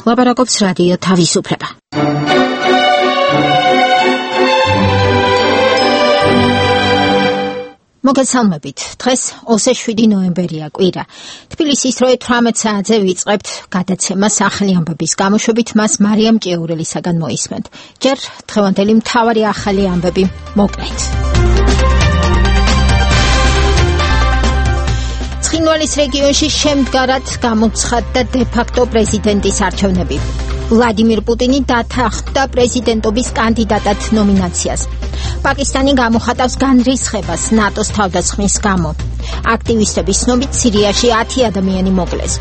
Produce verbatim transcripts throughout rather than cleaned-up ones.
ლაპარაკობს რადიო თავისუფლება. მოგესალმებით. დღეს ოცდაშვიდი შვიდი ნოემბერია კვირა. თბილისის რვა ათი საათზე ვიწყებთ გადაცემას ახალი ამბების გამოშვებით, მას მარიამ ჭიაურელისაგან მოისმენთ. ჯერ დღევანდელი მთავარი ახალი ამბები მოკლედ. ცხინვალის რეგიონში შემდგარად გამოცხადდა დე-ფაქტო პრეზიდენტის არჩევნები. ვლადიმირ პუტინი დათანხმდა პრეზიდენტობის კანდიდატად ნომინაციას. პაკისტანი გამოხატავს განრისხებას ნატოს თავდასხმის გამო. აქტივისტების ცნობით სირიაში ათი ადამიანი მოკლეს.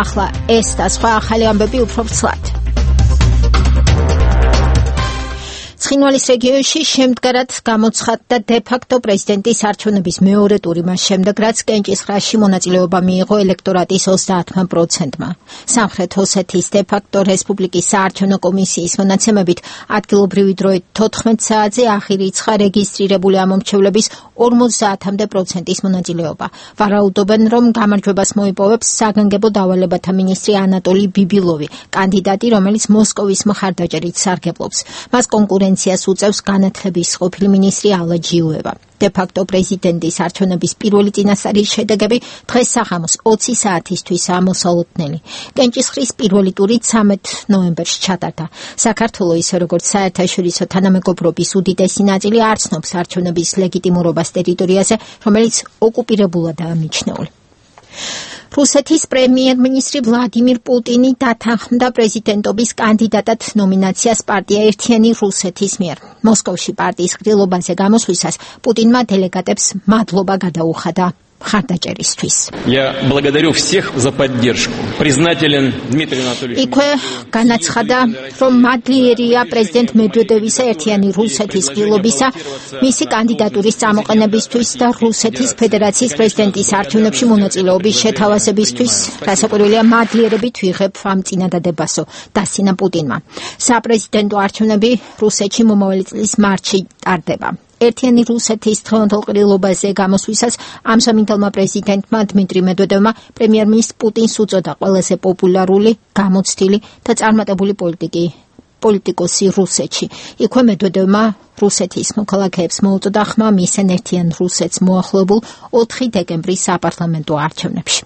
ახლა ეს და სხვა ახალი ამბები უფრო ცლად. ცხინვალის რეგიონში შემდგარად გამოცხადდა დე-ფაქტო პრეზიდენტის არჩევნების მეორე ტური მას შემდეგ, რაც კენჭისყრაში მონაწილეობა მიიღო ელექტორატის ოცდაათმა პროცენტმა. სამხრეთ ოსეთის დე-ფაქტო რესპუბლიკის საარჩევნო კომისიის მონაცემებით ადგილობრივი დროით თოთხმეტ საათზე აღირიცხა რეგისტრირებული ამომრჩევლების ორმოცდაათამდე პროცენტის მონაწილეობა. ვარაუდობენ, რომ გამარჯვებას მოიპოვებს საგანგებო დავალებათა მინისტრი ანატოლი ბიბილოვი, კანდიდატი, რომელიც მოსკოვის მხარდაჭერით სარგებლობს. მას კონკურენციას უწევს განათლების ყოფილი მინისტრი ალა ჯიუევა. დე-ფაქტო პრეზიდენტის არჩევნების პირველი წინასწარი შედეგები დღეს საღამოს ოცი საათისთვისაა მოსალოდნელი. კენჭისყრის პირველი ტური ცამეტ ნოემბერში ჩატარდა. საქართველო, ისე როგორც საერთაშორისო თანამეგობრობის უდიდესი ნაწილი, არ ცნობს არჩევნების ლეგიტიმურობას ტერიტორიაზე, რომელიც ოკუპირებულადაა მიჩნეული. რუსეთის პრემიერ-მინისტრი ვლადიმირ პუტინი დათანხმდა პრეზიდენტობის კანდიდატად ნომინაციას პარტია ერთიანი რუსეთის მიერ. მოსკოვში პარტიის ღრილობაზე გამოსვლისას პუტინმა დელეგატებს მადლობა გადაუხადა მხარდაჭერისთვის. Я благодарю всех за поддержку. Признателен Дмитрию Анатольевичу. იქვე განაცხადა, რომ მადლიერია პრეზიდენტ მედვედევისა ერთიანი რუსეთის ღრილობისა, მისი კანდიდატურის წამოყენებისთვის და რუსეთის ფედერაციის პრეზიდენტის არჩევნებში მონაწილეობის შეთავაზებისთვის, რასაკვირველია მადლიერებით ვიღებ ამ წინადადებასო, დასცინა პუტინმა. საპრეზიდენტო არჩევნები რუსეთში მომავალი წლის მარტში ტარდება. ერთიანი რუსეთის დღევანდელ ყრილობაზე გამოსვლისას ამჟამინდელმა პრეზიდენტმა დმიტრი მედვედევმა პრემიერ-მინისტრ პუტინს უწოდა ყველაზე პოპულარული, გამოცდილი და წარმატებული პოლიტიკი პოლიტიკოსი რუსეთში. იქვე მედვედევმა რუსეთის მოქალაქეებს მოუწოდა ხმა მისცენ ერთიან რუსეთს მოახლოებულ ოთხი დეკემბრის საპარლამენტო არჩევნებში.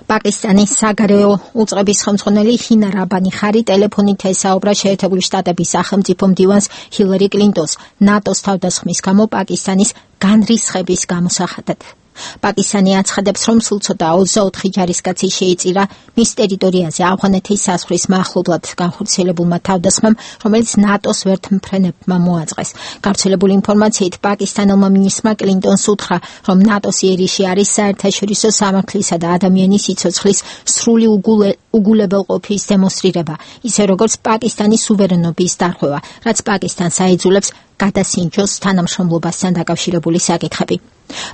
პაკისტანის საგარეო უწყების ხელმძღვანელი ჰინა რაბანი ხარი ტელეფონით ესაუბრა შეერთებული შტატების სახელმწიფო მდივანს ჰილარი კლინტონს ნატოს თავდასხმის გამო პაკისტანის განრისხების გამოსახატად. პაკისტანი აცხადებს, რომ სულ ცოტა ოცდაოთხი ჯარისკაცი შეიწირა მის ტერიტორიაზე ავღანეთის საზღვრის მახლობლად განხორციელებულმა თავდასხმამ, რომელიც ნატოს ვერთმფრენებმა მოაწყეს. გავრცელებული ინფორმაციით პაკისტანელმა მინისტრმა კლინტონს უთხრა, რომ ნატოს იერიში არის საერთაშორისო სამართლისა და ადამიანის სიცოცხლის სრული უგულებელყოფის დემონსტრირება, ისე როგორც პაკისტანის სუვერენობის დარღვევა, რაც პაკისტანს აიძულებს გადასინჯოს თანამშრომლობასთან დაკავშირებული საკითხები.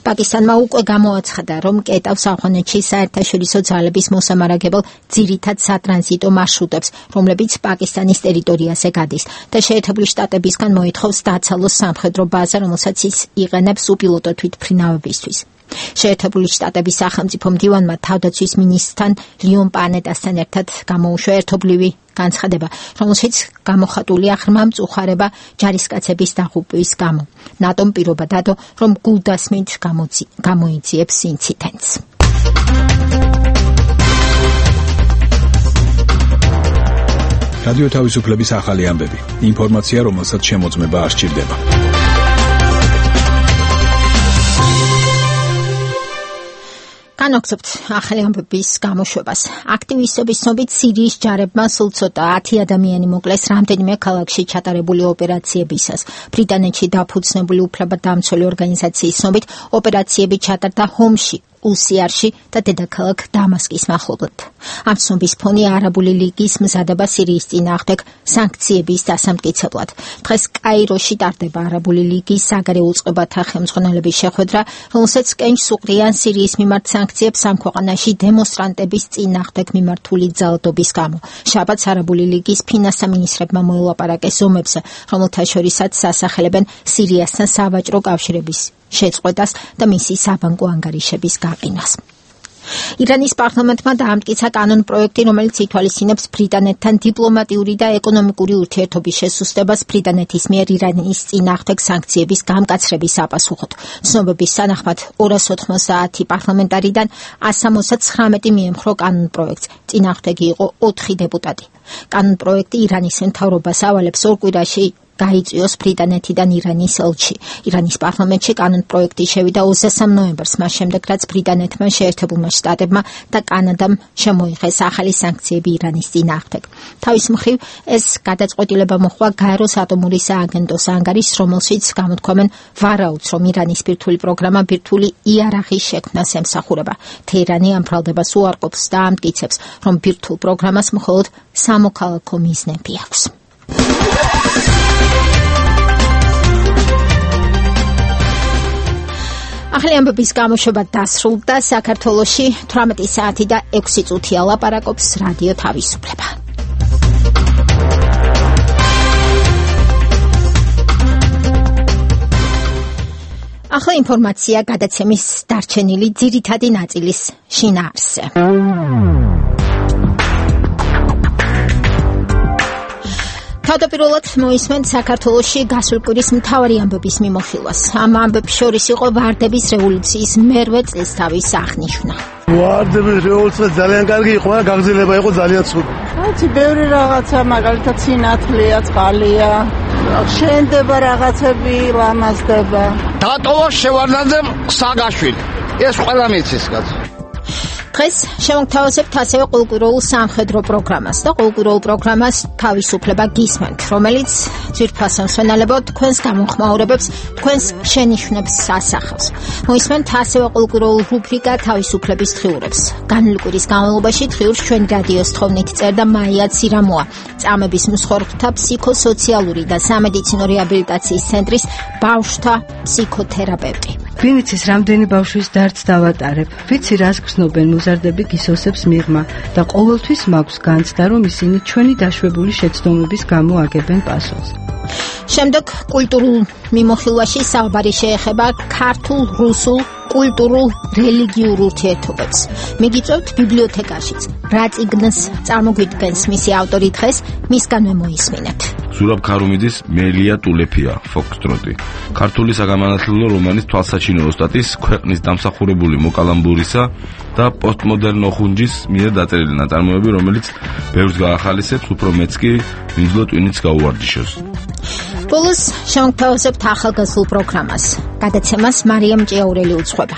პაკისტანმა უკვე გამოაცხადა, რომ კეტავს ავღანეთში საერთაშორისო ძალების მოსამარაგებელ ძირითად სატრანზიტო მარშრუტებს, რომლებიც პაკისტანის ტერიტორიაზე გადის და შეერთებული შტატებისგან მოითხოვს დაცალოს სამხედრო ბაზა, რომელსაც ის იყენებს უპილოტო თვითმფრინავებისთვის. შეერთებული შტატების სახელმწიფო მდივანმა თავდაცვის მინისტრთან ლიონ პანეტასთან ერთად გამოუშვა ერთობლივი განცხადება, რომელშიც გამოხატულია ღრმა მწუხარება ჯარისკაცების დაღუპვის გამო. ნატომ პირობა დადო, რომ გულდასმით გამოიძიებს ინციდენტს. რადიო თავისუფლების ახალი ამბები. ინფორმაცია, რომელსაც შემოწმება არ სჭირდება. განვაგრძობთ ახალი ამბების გამოშვებას. აქტივისტების ცნობით სირიის ჯარებმა სულ ცოტა ათი ადამიანი მოკლეს რამდენიმე ქალაქში ჩატარებული ოპერაციებისას. ბრიტანეთში დაფუძნებული უფლებადამცველი ორგანიზაციის ცნობით ოპერაციები ჩატარდა ჰომში, უსიარში და დედაქალაქ დამასკის მახლობლად. ამ ცნობის ფონი არაბული ლიგის მზადება სირიის წინააღმდეგ სანქციების დასამტკიცებლად. დღეს კაიროში ტარდება არაბული ლიგის საგარეო უწყებათა ხელმძღვანელების შეხვედრა, რომელსაც კენჭს უყრიან სირიის მიმართ სანქციებს ამ ქვეყანაში დემონსტრანტების წინააღმდეგ მიმართული ძალადობის გამო. შაბათს არაბული ლიგის ფინანსთა მინისტრებმა მოელაპარაკეს ომებზე, რომელთა შორისაც სასახელებენ სირიასთან სავაჭრო კავშირების შეწყვეტას და მისი საბანკო ანგარიშების გაყინვას. ირანის პარლამენტმა დაამტკიცა კანონპროექტი, რომელიც ითვალისწინებს ბრიტანეთთან დიპლომატიური და ეკონომიკური ურთიერთობის შესუსტებას ბრიტანეთის მიერ ირანის წინააღმდეგ სანქციების გამკაცრების საპასუხოდ. ცნობების თანახმად ორას ოთხმოცდაათი პარლამენტარიდან ასამოცდათცხრამეტი მიემხრო კანონპროექტს, წინააღმდეგი იყო ოთხი დეპუტატი. კანონპროექტი ირანის მთავრობას ავალებს ორ კვირაში გაიწვიოს ბრიტანეთიდან ირანის ელჩი. ირანის პარლამენტში კანონპროექტი შევიდა ოცდასამ ნოემბერს, მას შემდეგ რაც ბრიტანეთმა, შეერთებულმა შტატებმა და კანადამ შემოიღეს ახალი სანქციები ირანის წინააღმდეგ. თავის მხრივ ეს გადაწყვეტილება მოხდა გაეროს ატომური სააგენტოს ანგარიშს, რომელშიც გამოთქვამენ ვარაუდს, რომ ირანის ბირთვული პროგრამა ბირთვული იარაღის შექმნას ემსახურება. თეირანი ამ ბრალდებას უარყოფს და ამტკიცებს, რომ ბირთვულ პროგრამას მხოლოდ სამოქალაქო მიზნები აქვს. ახალი ამბების გამოშვება დასრულდა. საქართველოში თვრამეტი საათი და ექვსი წუთია ლაპარაკობს რადიო თავისუფლება. ახლა ინფორმაცია გადაცემის დარჩენილი ძირითადი ნაწილის შინაარსზე. თავდაპირველად მოისმენთ საქართველოში გასული კვირის მთავარი ამბების მიმოხილვას. ამ ამბებს შორის იყო ვარდების რევოლუციის მერვე წლისთავის აღნიშვნა. ვარდების რევოლუცია ძალიან კარგი იყო, გაგრძელება იყო ძალიან ცუდი. კაცი, ბევრი რაღაცა, მაგალითად სინათლეა, წყალია, შენდება რაღაცები, ლამაზდება. დატოვა შევარდნაძემ სააგაშვილი. ეს ყველა მიცის, კაცი. დღეს შევამთავაზებთ ასევე ყოველკვირეულ სამხედრო პროგრამას და ყოველკვირეულ პროგრამას თავისუფლება გისმენთ, რომელიც ძვირფასო მსვენელებო თქვენს გამომხმაურებებს, თქვენს შენიშვნებს ასახავს. მოისმენთ ასევე ყოველკვირეულ რუბრიკა თავისუფლების დღიურებს. განვლილი კვირის განმავლობაში დღიურს ჩვენი რადიოს თხოვნით წერდა მაია ცირამოა, წამების მსხვერპლთა ფსიქოსოციალური და სამედიცინო რეაბილიტაციის ცენტრის ბავშვთა ფსიქოთერაპევტი. ვინიცის რამდენი ბავშვის დარდს დავატარებ, ვიცი რას გრძნობენ მოზარდები გისოსებს მიღმა და ყოველთვის მაქვს განცდა, რომ ისინი ჩვენი დაშვებული შეცდომების გამო აგებენ პასუხს. შემდეგ კულტურულ მიმოხილვაში საუბარი შეეხება ქართულ, რუსულ, კულტურულ, რელიგიურ ურთიერთობებს. მიგიწევთ ბიბლიოთეკაშიც. რა წიგნს წარმოგვიდგენს მისი ავტორი დღეს, მისგანვე მოისმინეთ. ზურაბ ქარუმიძის მელია ტულეფია, ფოქსტროტი. ქართული საგამანათლებლო რომანის თვალსაჩინო ოსტატის, ქვეყნის დამსახურებული მოკალამბურისა და პოსტმოდერნო ხუნჯის მიერ დაწერილი ნაწარმოები, რომელიც ბევრს გაახალისებს, უფრო მეც კი ვინძლო ტვინიც გაუვარჯიშოს. ბოლოს შევამთავაზებთ ახალგაზრდულ პროგრამას. გადაცემას მარიამ ჭიაურელი უძღვება.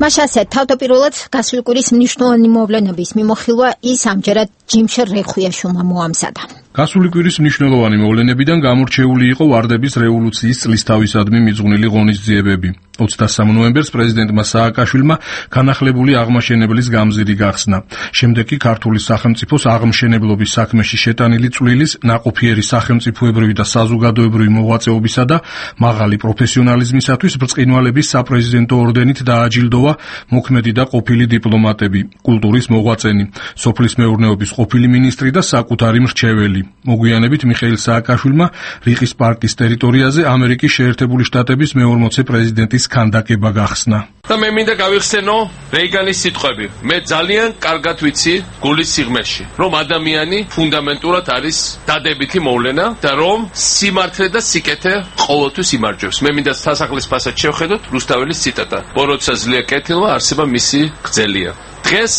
მაშასე თავდაპირველად გასული კვირის მნიშვნელოვანი მოვლენების მიმოხილვა ის ამჯერად ჯიმშერ რეხვიაშვილმა მოამზადა. გასული კვირის მნიშვნელოვანი მოვლენებიდან გამორჩეული იყო ვარდების რევოლუციის წლისთავისადმი მიძღვნილი ღონისძიებები. ოცდასამ ნოემბერს პრეზიდენტმა სააკაშვილმა განახლებული აღმაშენებლის გამზირი გახსნა. შემდეგ კი ქართული სახელმწიფოს აღმშენებლობის საქმეში შეტანილი წვლილის, ნაყოფიერი სახელმწიფოებრივი და საზოგადოებრივი მოღვაწეობისა და მაღალი პროფესიონალიზმისათვის ბრწყინვალების საპრეზიდენტო ორდენით დააჯილდოვა მოქმედი და ყოფილი დიპლომატები, კულტურის მოღვაწენი, სოფლის მეურნეობის ყოფილი მინისტრი და საკუთარი მრჩეველი. მოგვიანებით მიხეილ სააკაშვილმა რიყის პარკის ტერიტორიაზე ამერიკის შეერთებული შტატების მეორმოცე პრეზიდენტის ქანდაკება გახსნა. და მე მინდა გავიხსენო რეიგანის სიტყვები. მე ძალიან კარგად ვიცი გულის სიღმეში, რომ ადამიანი ფუნდამენტურად არის დადებითი მოვლენა და რომ სიმართლე და სიკეთე ყოველთვის იმარჯვებს. მე მინდა სასახლის ფასად შევხედოთ რუსთაველის ციტატა. ბოროტსა ძლია კეთილმა, არსება მისი გრძელია. დღეს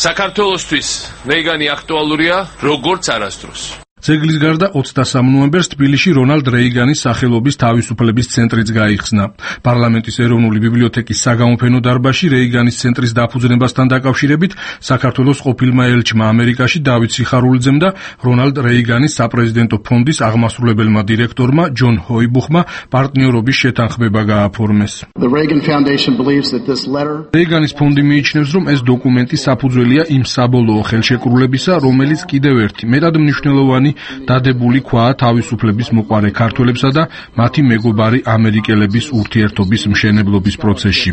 საქართველოსთვის რეიგანი აქტუალურია როგორც არასდროს. ძეგლის გარდა ოცდასამ ნოემბერს თბილისში რონალდ რეიგანის სახელობის თავისუფლების ცენტრიც გაიხსნა. პარლამენტის ეროვნული ბიბლიოთეკის საგამოფენო დარბაზში რეიგანის ცენტრის დაფუძნებასთან დაკავშირებით საქართველოს ყოფილმა ელჩმა ამერიკაში დავით სიხარულიძემ და რონალდ რეიგანის საპრეზიდენტო ფონდის აღმასრულებელმა დირექტორმა ჯონ ჰოიბუხმა პარტნიორობის შეთანხმება გააფორმეს. რეიგანის ფონდი მიიჩნევს, რომ ეს დოკუმენტი საფუძველია იმ საბოლოო ხელშეკრულებისა, რომელიც კიდევ ერთი მეტად მნიშვნელოვანი დადებული ქვაა თავისუფლების მოყარე ქართველებსა და მათი მეგობარი ამერიკელების ურთიერთობის მშენებლობის პროცესში.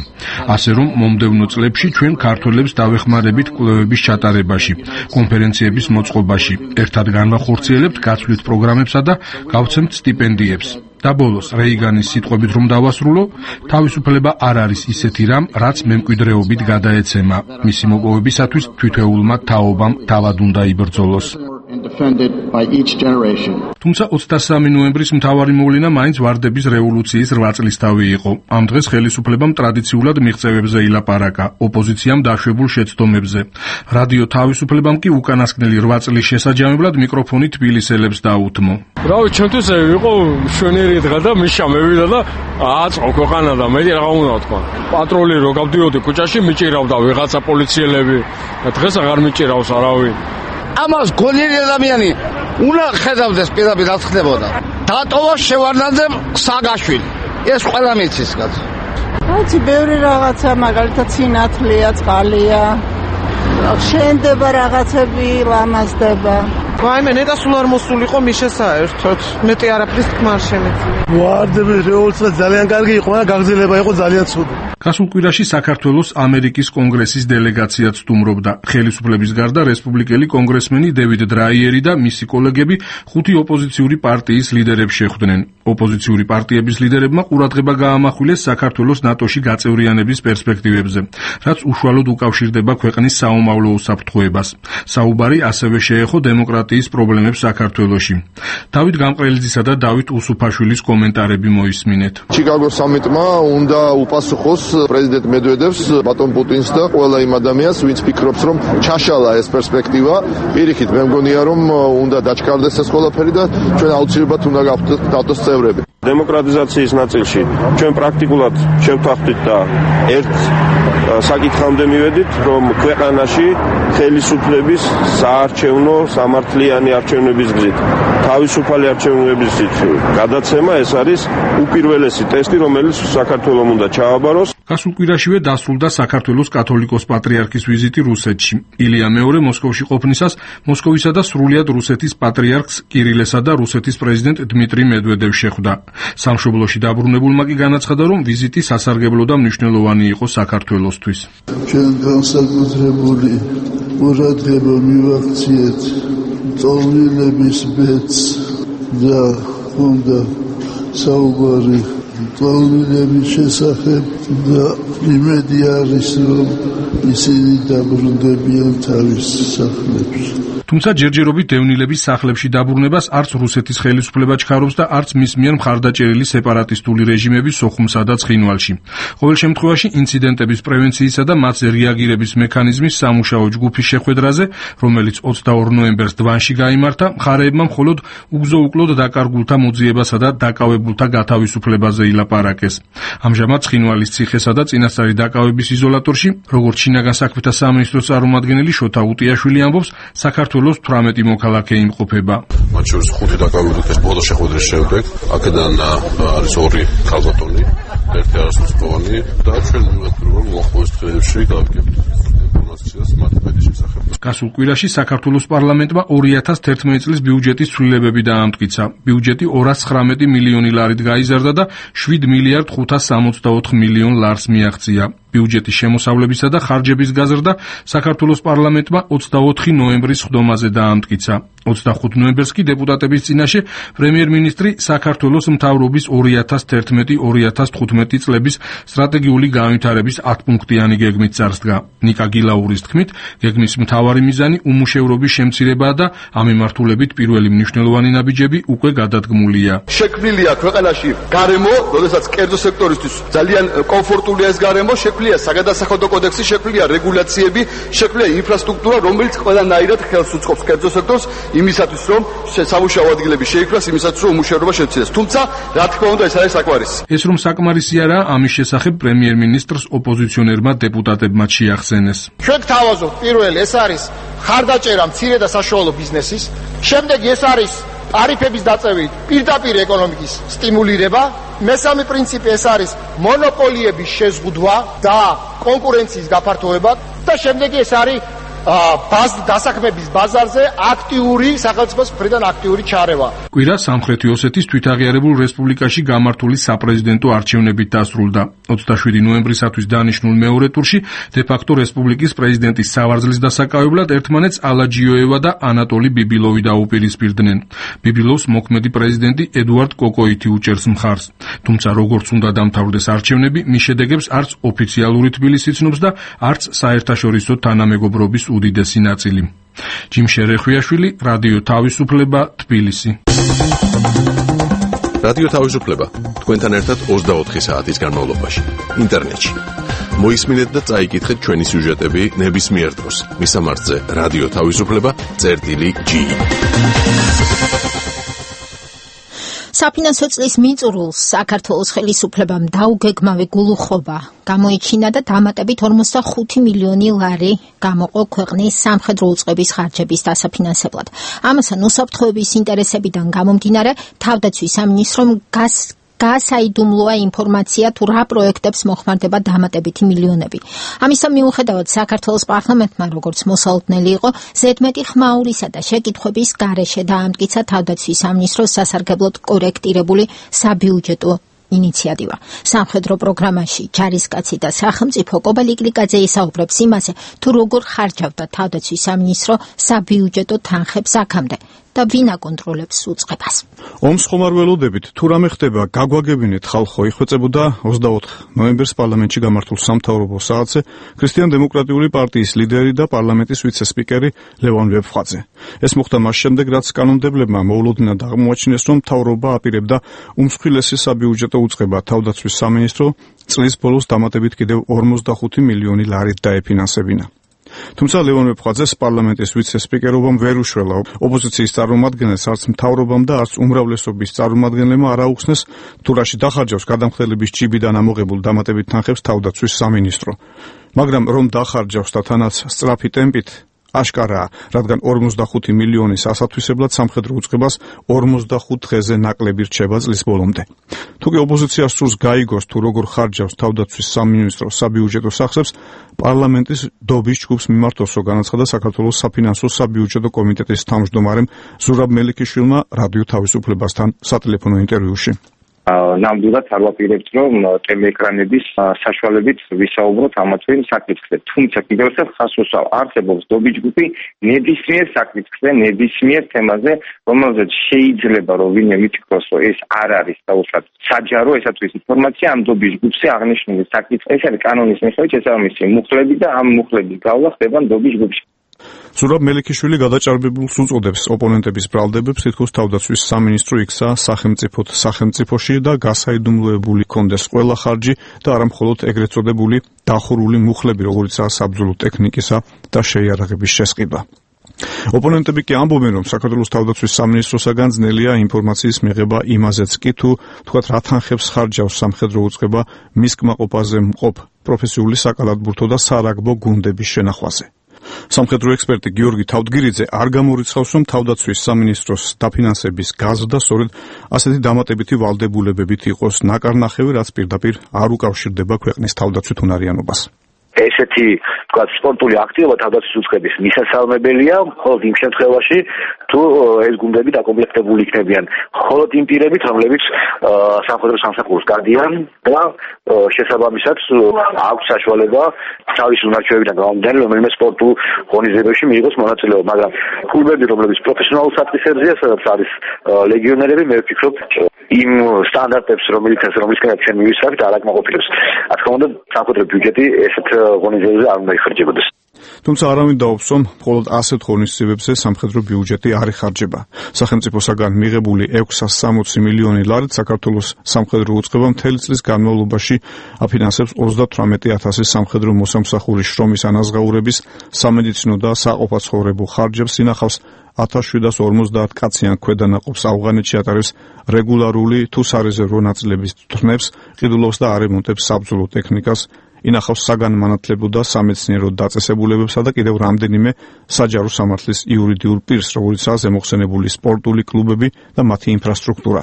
ასე რომ მომდევნო წლებში ჩვენ ქართველებს დავეხმარებით კვლევების ჩატარებაში, კონფერენციების მოწყობაში, ერთად განვახორციელებთ გაცვლით პროგრამებსა და გავცემთ სტიპენდიებს. და ბოლოს რეიგანის სიტყვებით რომ დავასრულო, თავისუფლება არ არის ისეთი რამ, რაც მემკვიდრეობით გადაეცემა. მისი მოპოვებისათვის თვითეულმა თაობამ თავად უნდა იბრძოლოს. თუმცა ოცდასამი ნოემბრის მთავარი მოვლენა მაინც ვარდების რევოლუციის რვა წლისთავი იყო. ამ დღეს ხელისუფლებამ ტრადიციულად მიღწევებზე ილაპარაკა, ოპოზიციამ დაშვებულ შეცდომებზე. რადიო თავისუფლებამ კი უკანასკნელი რვა წლის შესაჯამებლად მიკროფონი თბილისელებს დაუთმო. რავი, ჩვენთვის იყო მშვენიერი დღე და მიშა მევიდა და აწყო ქვეყანა და მე რა უნდა თქვა. პატრული რო გავდიოდი ქუჩაში, მიჭირავდა ვიღაცა პოლიციელები. დღეს აღარ მიჭირავს არავინ. ამას გონიერი ადამიანი უნდა ხედავდეს პირდაპირ რა ხდებოდა. დატოვა შევარდნაძემ სააკაშვილი. ეს ყველა მიცის კაცო. რაც ბევრი რაღაცა, მაგალითად სინათლეა, წყალია. შენდება რაღაცები, ლამაზდება. ვაიმე, ნეტა სულ არ მოსულიყო მიშა საერთოდ. მეტი არაფრის თქმა არ შემეძლია. ვარდების რევოლუცია ძალიან კარგი იყო, მაგრამ გაგრძელება იყო ძალიან ცუდი. გასულ კვირაში საქართველოს ამერიკის კონგრესის დელეგაციაც სტუმრობდა. ხელისუფლების გარდა რესპუბლიკელი კონგრესმენი დევიდ დრაიერი და მისი კოლეგები ხუთი ოპოზიციური პარტიის ლიდერებს შეხვდნენ. ოპოზიციური პარტიების ლიდერებმა ყურადღება გაამახვილეს საქართველოს ნატოში გაწევრიანების პერსპექტივებზე, რაც უშუალოდ უკავშირდება ქვეყნის საომავლო უსაფრთხოებას. საუბარი ასევე შეეხო დემოკრატიის პრობლემებს საქართველოში. დავით გამყრელიძისა და დავით უსუფაშვილის კომენტარები მოისმინეთ. ჩიკაგოს სამიტმა უნდა უპასუხოს პრეზიდენტ მედვედევს, ბატონ პუტინს და ყველა იმ ადამიანს, ვინც ფიქრობს, რომ ჩაშალა ეს პერსპექტივა. პირიქით, მე მგონია, რომ უნდა დაჩქარდეს ეს ყველაფერი და ჩვენ აუცილებლად უნდა გავხდეთ წევრები. დემოკრატიზაციის ნაწილში ჩვენ პრაქტიკულად შევთანხმდით და ერთ საკითხამდე მივედით, რომ ქვეყანაში ხელისუფლების საარჩევნო სამართლიანი არჩევნების გზით, თავისუფალი არჩევნების გზით გადაცემა ეს არის უპირველესი ტესტი, რომელიც საქართველოს უნდა ჩააბაროს. გასულ კვირაშივე დასრულდა საქართველოს კათოლიკოს პატრიარქის ვიზიტი რუსეთში. ილია მეორე მოსკოვში ყოფნისას მოსკოვისა და სრულიად რუსეთის პატრიარქს კირილესა და რუსეთის პრეზიდენტ დმიტრი მედვედევს შეხვდა. სამშობლოში დაბრუნებულმა კი განაცხადა, რომ ვიზიტი სასარგებლო და მნიშვნელოვანი იყო საქართველოსთვის. ჩვენ განსაკუთრებული ყურადღება მივაქციეთ ტოლვილების ბედს და უნდა საუბარი ტოლვილების შესახებ და იმედი არის, რომ ისინი დაბრუნდებიან თავის სახლებში. თუმცა ჯერჯერობით დევნილების სახლებში დაბრუნებას არც რუსეთის ხელისუფლება ჩქარობს და არც მის მიერ მხარდაჭერილი სეპარატისტული რეჟიმების სოხუმსა და ცხინვალში. ყოველ შემთხვევაში ინციდენტების პრევენციისა და მათზე რეაგირების მექანიზმის სამუშაო ჯგუფის შეხვედრაზე, რომელიც ოცდაორ ნოემბერს დვანში გაიმართა, მხარეებმა მხოლოდ უგზო-უკლოდ დაკარგულთა მოძიებასა და დაკავებულთა გათავისუფლებაზე ილაპარაკეს. ამჟამად ცხინვალის ციხესა და წინასწარი დაკავების იზოლატორში, როგორც შინაგან საქმეთა სამინისტროს წარმომადგენელი შოთა უტიაშვილი ამბობს, საქართველოს თვრამეტი მოქალაქე იმყოფება. მათ შორის ხუთი დაკავებულთა ბოლო შეხვედრის შემდეგ, აქედან არის ორი ქალბატონი, ერთი არასრულწლოვანი და ჩვენ მივხვდით, რომ მოხდეს დღეებში გავიგებთ ინფორმაციას მათ ბედის შესახებ. გასულ კვირაში საქართველოს პარლამენტმა ორი ათას თერთმეტი წლის ბიუჯეტის ცვლილებები დაამტკიცა. ბიუჯეტი ორას ცხრამეტი მილიონი ლარით გაიზარდა და შვიდ მილიარდ ხუთას სამოცდაოთხ მილიონ ლარს მიაღწია. ბიუჯეტის შემოსავლებისა და ხარჯების გაზრდა საქართველოს პარლამენტმა ოცდაოთხი ნოემბრის სხდომაზე დაამტკიცა. ოცდახუთი ნოემბერს კი დეპუტატების წინაშე პრემიერ-მინისტრი საქართველოს მთავრობის ორი ათას თერთმეტი ორი ათას თხუთმეტი წლების სტრატეგიული განვითარების ათპუნქტიანი გეგმით წარსდგა. ნიკა გილაურის თქმით, გეგმის მთავარი მიზანი უმუშევრობის შემცირებაა და ამ მიმართულებით პირველი მნიშვნელოვანი ნაბიჯები უკვე გადადგმულია. შექმნილია ქვეყანაში გარემო, როდესაც კერძო სექტორისთვის ძალიან კომფორტულია ეს გარემო, შექმნილია საგადასახადო კოდექსი, შექმნილია რეგულაციები, შექმნილია ინფრასტრუქტურა, რომელიც ყველანაირად ხელს უწყობს კერძო სექტორს იმისათვის, რომ სამუშაო ადგილები შეიქმნას, იმისათვის, რომ უმუშევრობა შემცირდეს. თუმცა, რა თქმა უნდა, ეს არის საკმარისი. ეს რომ საკმარისი არა, ამის შესახებ პრემიერ-მინისტრს ოპოზიციონერმა დეპუტატებმა შეახსენეს. ჩვენ გთავაზობთ პირველი, ეს არის ხარდაჭერა მცირე და საშუალო ბიზნესის, შემდეგი ეს არის ტარიფების დაწევით პირდაპირ ეკონომიკის სტიმულირება, მესამე პრინციპი ეს არის მონოპოლიების შეზღუდვა და კონკურენციის გაფართოება და შემდეგი ეს არის ბაზ დასაქმების ბაზარზე აქტიური სახელმწიფოს მხრიდან აქტიური ჩარევა. კვირა სამხრეთი ოსეთის თვითაღიარებულ რესპუბლიკაში გამართული საპრეზიდენტო არჩევნებით დასრულდა. ოცდაშვიდი ნოემბრისათვის დანიშნულ მეორე ტურში დე-ფაქტო რესპუბლიკის პრეზიდენტის სავარძლის დასაკავებლად ერთმანეთს ალაჯიოევა და ანატოლი ბიბილოვი დაუპირისპირდნენ. ბიბილოვს მოქმედი პრეზიდენტი ედუარდ კოკოიტი უჭერს მხარს. თუმცა როგორც უნდა დამთავრდეს არჩევნები, მის შედეგებს არც ოფიციალური თბილისი ცნობს და არც საერთაშორისო თანამეგობრობის უდიდესი ნაწილი. ჯიმ შერეხვიაშვილი, რადიო თავისუფლება, თბილისი. რადიო თავისუფლება თქვენთან ერთად ოცდაოთხი საათის განმავლობაში ინტერნეტში. მოისმინეთ და წაიკითხეთ ჩვენი სიუჟეტები ნებისმიერ დროს. მისამართზე რადიო თავისუფლება წერტილი ჯი. საფინანსო წლის მიწურულს საქართველოს ხელისუფლებამ დაუგეგმავი გულუხობა გამოიჩინა და დამატებით ორმოცდახუთი მილიონი ლარი გამოყო ქვეყნის სამხედრო უწყების ხარჯების დასაფინანსებლად. ამასთან უსაფრთხოების ინტერესებიდან გამომდინარე თავდაცვის სამინისტრომ გას გაასაიდუმლოა ინფორმაცია თუ რა პროექტებს მოხმარდება დამატებითი მილიონები. ამისა მიუხედავად საქართველოს პარლამენტმა როგორც მოსალოდნელი იყო ზედმეტი ხმაურისა და შეკითხვების გარეშე დაამტკიცა თავდაცვის სამინისტროს სასარგებლოდ კორექტირებული საბიუჯეტო ინიციატივა. სამხედრო პროგრამაში ჯარისკაცი და სახელმწიფო კობალიკლიკაძე ისაუბრებს იმაზე, თუ როგორ ხარჯავდა თავდაცვის სამინისტრო საბიუჯეტო თანხებს აქამდე და ვინ აკონტროლებს უწყებას. ომს ხომარველოდებით თუ რამე ხდება, გაგვაგებინეთ ხალხო, იხვეწებოდა ოცდაოთხ ნოემბერს პარლამენტში გამართულ სამთავრობო საათზე ქრისტიან-დემოკრატიული პარტიის ლიდერი და პარლამენტის ვიცე-სპიკერი ლევან ვებხვაძე. ეს მოხდა მას შემდეგ, რაც კანონმდებლებმა მოულოდნელად აღმოაჩინეს, რომ მთავრობა აპირებდა უმსხვილესი საბიუჯეტო უწყება თავდაცვის სამინისტრო წლის ბოლოს დამატებით კიდევ ორმოცდახუთი მილიონი ლარით დაეფინანსებინა. თუმცა ლევან ვებხვაძეს პარლამენტის ვიცე-სპიკერობამ ვერ უშველა. ოპოზიციის წარმომადგენელს არც მთავრობამ და არც უმრავლესობის წარმომადგენლებმა არ აუხსნეს თუ რაში დახარჯავს გადამხდელების ჭიბიდან ამოღებულ დამატებით თანხებს თავდაცვის სამინისტრო. მაგრამ რომ დახარჯავს და თანაც სწრაფი ტემპით აშკარაა, რადგან ორმოცდახუთი მილიონის ასათვისებლად სამხედრო უწყებას ორმოცდახუთ დღეზე ნაკლები რჩება წლის ბოლომდე. თუკი ოპოზიციას სურს გაიგოს თუ როგორ ხარჯავს თავდაცვის სამინისტრო საბიუჯეტო სახსრებს, პარლამენტის დობის ჯგუფს მიმართოსო განაცხადა საქართველოს საფინანსო საბიუჯეტო კომიტეტის თავმჯდომარემ ზურაბ მელიქიშვილმა რადიო თავისუფლებასთან სატელეფონო ინტერვიუში. ნამდვილად არ ვაპირებთ, რომ ტელეეკრანების საშუალებით ვისაუბროთ ამა თუ იმ საკითხზე. თუმცა კიდევ ერთხელ ხაზს უსვამ, არსებობს დობის ჯგუფი ნებისმიერ საკითხზე, ნებისმიერ თემაზე, რომელზეც შეიძლება რომ ვინმე მითქოს, რომ ეს არ არის დაუშვათ საჯარო, ესათვის ინფორმაცია ამ დობის ჯგუფზე აღნიშნული საკითხი. ეს არის კანონის მიხედვით შესაბამისი მუხლები და ამ მუხლების გავლა ხდება დობის ჯგუფში. ზურაბ მელიქიშვილი გადაჭარბებულს უწოდებს ოპონენტების ბრალდებებს, თითქოს თავდაცვის სამინისტრო იქცა სახელმწიფოთ სახელმწიფოში და გასაიდუმლოებული კონდეს ყველა ხარჯი და არა მხოლოდ ეგრეთ წოდებული დახურული მუხლები, როგორიცაა საბრძოლო ტექნიკისა და შეიარაღების შესყიდვა. ოპონენტები კი ამბობენ, რომ საქართველოს თავდაცვის სამინისტროსაგან ძნელია ინფორმაციის მიღება იმაზეც კი თუ თქვათ რა თანხებს ხარჯავს სამხედრო უწყება მის კმაყოფაზე მყოფ პროფესიული საკალათბურთო და სარაგბო გუნდების შენახვაზე. სამხედრო ექსპერტი გიორგი თავდგირიძე არ გამორიცხავს, რომ თავდაცვის სამინისტროს დაფინანსების გაზრდა სწორედ ასეთი დამატებითი ვალდებულებებით იყოს ნაკარნახევი, რაც პირდაპირ არ უკავშირდება ქვეყნის თავდაცვით უნარიანობას. ესეთი თქვა სპორტული აქტივობა თავდაცვის უწყების მისასალმებელია მხოლოდ იმ შემთხვევაში, თუ ეს გუნდები დაკომპლექტებული იქნებიან მხოლოდ იმ პირებით, რომლებიც სამხედრო სამსახურს გადიან და შესაბამისად აქვს საშუალება თავის უნარჩვევიდან გამომდინარე რომელიმე სპორტულ ღონისძიებებში მიიღოს მონაწილეობა, მაგრამ კლუბები, რომლებიც პროფესიონალურ სატკისერზეა, სადაც არის ლეგიონერები, მე ვფიქრობ იმ სტანდარტებს, რომლითაც რომლისკენაც ჩვენ მივისწრებით, არ აკმაყოფილებს. რა თქმა უნდა, სამხედრო ბიუჯეტი ესეთ ღონისძიებებზე არ უნდა იხარჯებოდეს. თუმცა არავინ დაობს, რომ მხოლოდ ასეთ ღონისძიებებზე სამხედრო ბიუჯეტი არ იხარჯება. სახელმწიფოსაგან მიღებული ექვსას სამოცი მილიონი ლარით საქართველოს სამხედრო უწყება მთელი წლის განმავლობაში აფინანსებს ოცდათვრამეტი ათასი სამხედრო მოსამსახურის შრომის ანაზღაურების, სამედიცინო და საყოფაცხოვრებო ხარჯებს ინახავს ათას შვიდას ორმოცდაათ კაციან ქვედანაყოფს ავღანეთში ატარებს რეგულარული თუ სარეზერვო ნაწილების თხრნებს, ყიდულობს და არემონტებს საბრძოლო ტექნიკას, ინახავს საგანმანათლებლო და სამეცნიერო დაწესებულებებსა და კიდევ რამდენიმე საჯარო სამართლის იურიდიულ პირს, როგორიცაა ზემოხსენებული სპორტული კლუბები და მათი ინფრასტრუქტურა.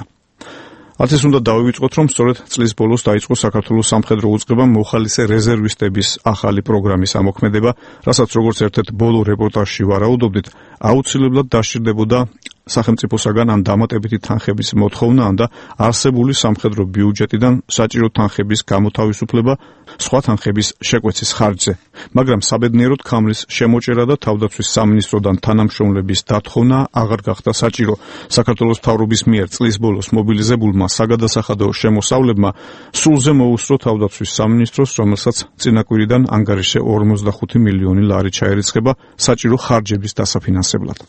მათ ეს უნდა დავივიწყოთ, რომ სწორედ წლის ბოლოს დაიწყო საქართველოს სამხედრო უწყებამ მოხალისე რეზერვისტების ახალი პროგრამის ამოქმედება, რასაც როგორც ერთ-ერთ ბოლო რეპორტაჟში ვარაუდობდით, აუცილებლად დასჭირდებოდა სახელმწიფოსაგან ამ დამატებითი თანხების მოთხოვნა და არსებული სამხედრო ბიუჯეტიდან საჭირო თანხების გამოთავისუფლება სხვა თანხების შეკვეცის ხარჯზე. მაგრამ საბედნიეროდ ქამრის შემოჭერა და თავდაცვის სამინისტროდან თანამშრომლების დათხოვნა აღარ გახდა საჭირო. საქართველოს მთავრობის მიერ წლის ბოლოს მობილიზებულმა საგადასახადო შემოსავლებმა სულზე მოუსწრო თავდაცვის სამინისტროს, რომელსაც წინაკვირიდან ანგარიშზე ორმოცდახუთი მილიონი ლარი ჩაერიცხება საჭირო ხარჯების დასაფინანსებლად.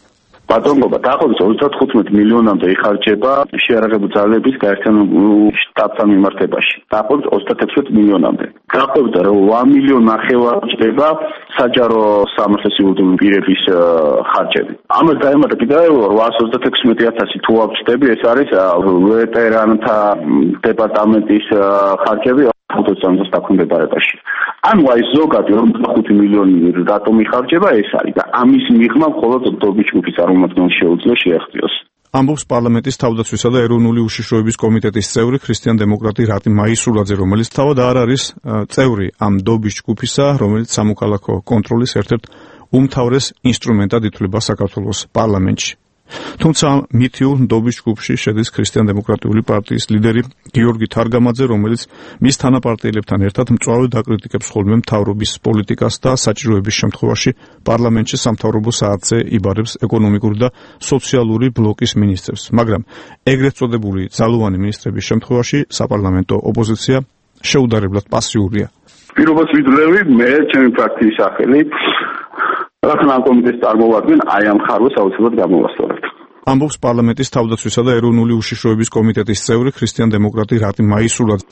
ბატონობა დაახლოებით ოცდათხუთმეტ მილიონამდე იხარჯება შეიარაღებული ძალების გაერთიანებულ შტატთან მიმართებაში. დაახლოებით ოცდათექვსმეტ მილიონამდე. დაახლოებით რვა მილიონი ნახევარი ჭდება საჯარო სამართლის იურიდიული პირების ხარჯები. ამას დაემატა კიდევ რვაას ოცდათექვსმეტი ათასი თუ არ ვჭდები, ეს არის ვეტერანთა დეპარტამენტის ხარჯები ხუთოცდაათს დაქვემდებარებაში. ანუ აი ზოგადი ორმოცდახუთი მილიონი რატომ იხარჯება ეს არის და ამის მიღმა მხოლოდ დობის ჯგუფის წარმომადგენელს შეუძლია შეახციოს. ამბობს პარლამენტის თავდაცვისა და ეროვნული უშიშროების კომიტეტის წევრი ქრისტიან-დემოკრატი რატი მაისურაძე, რომელიც თავად არ არის წევრი ამ დობის ჯგუფისა, რომელიც სამოქალაქო კონტროლის ერთ-ერთ უმთავრეს ინსტრუმენტად ითვლება საქართველოს პარლამენტში. თუმცა მითიურ დობის ჯგუფში შედის ქრისტიან-დემოკრატიული პარტიის ლიდერი გიორგი თარგამაძე, რომელიც მის თანაპარტიელებთან ერთად მწვავედ აკრიტიკებს ხოლმე მთავრობის პოლიტიკას და საჭიროების შემთხვევაში პარლამენტში სამთავრობო საათზე იბარებს ეკონომიკური და სოციალური ბლოკის მინისტრებს. მაგრამ ეგრეთ წოდებული ძალოვანი მინისტრების შემთხვევაში საპარლამენტო ოპოზიცია შეუდარებლად პასიურია. პირობას ვიძლევი მე ჩემი ფრაქციის სახელით რადგან ამ კომიტეტს წარმოვადგენ, აი ამ ხარვას აუცილებლად გამოვასწორებთ. ამბობს პარლამენტის თავდაცვისა და ეროვნული უშიშროების კომიტეტის წევრი ქრისტიან-დემოკრატი რატი მაისურაძე.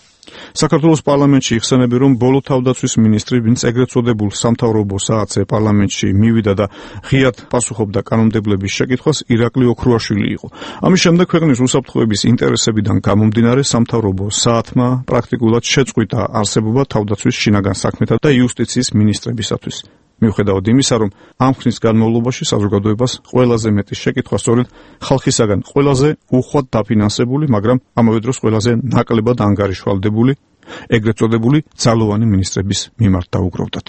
საქართველოს პარლამენტში იხსენები, რომ ბოლო თავდაცვის მინისტრი, ვინც ეგრეთ წოდებულ სამთავრობო საათზე პარლამენტში მივიდა და ღიად პასუხობდა კანონმდებლების შეკითხვას, ირაკლი ოქრუაშვილი იყო. ამის შემდეგ ქვეყნის უსაფრთხოების ინტერესებიდან გამომდინარე სამთავრობო საათმა პრაქტიკულად შეწყვიტა არსებობა თავდაცვის შინაგან საქმეთა და იუსტიციის მინისტრებისათვის. მიუხედავად იმისა, რომ ამ ხნის განმავლობაში საზოგადოებას ყველაზე მეტი შეკითხვა სწორედ ხალხისაგან ყველაზე უხვად დაფინანსებული, მაგრამ ამავე დროს ყველაზე ნაკლებად ანგარიშვალდებული, ეგრეთ წოდებული ძალოვანი მინისტრების მიმართ დაუგროვდათ.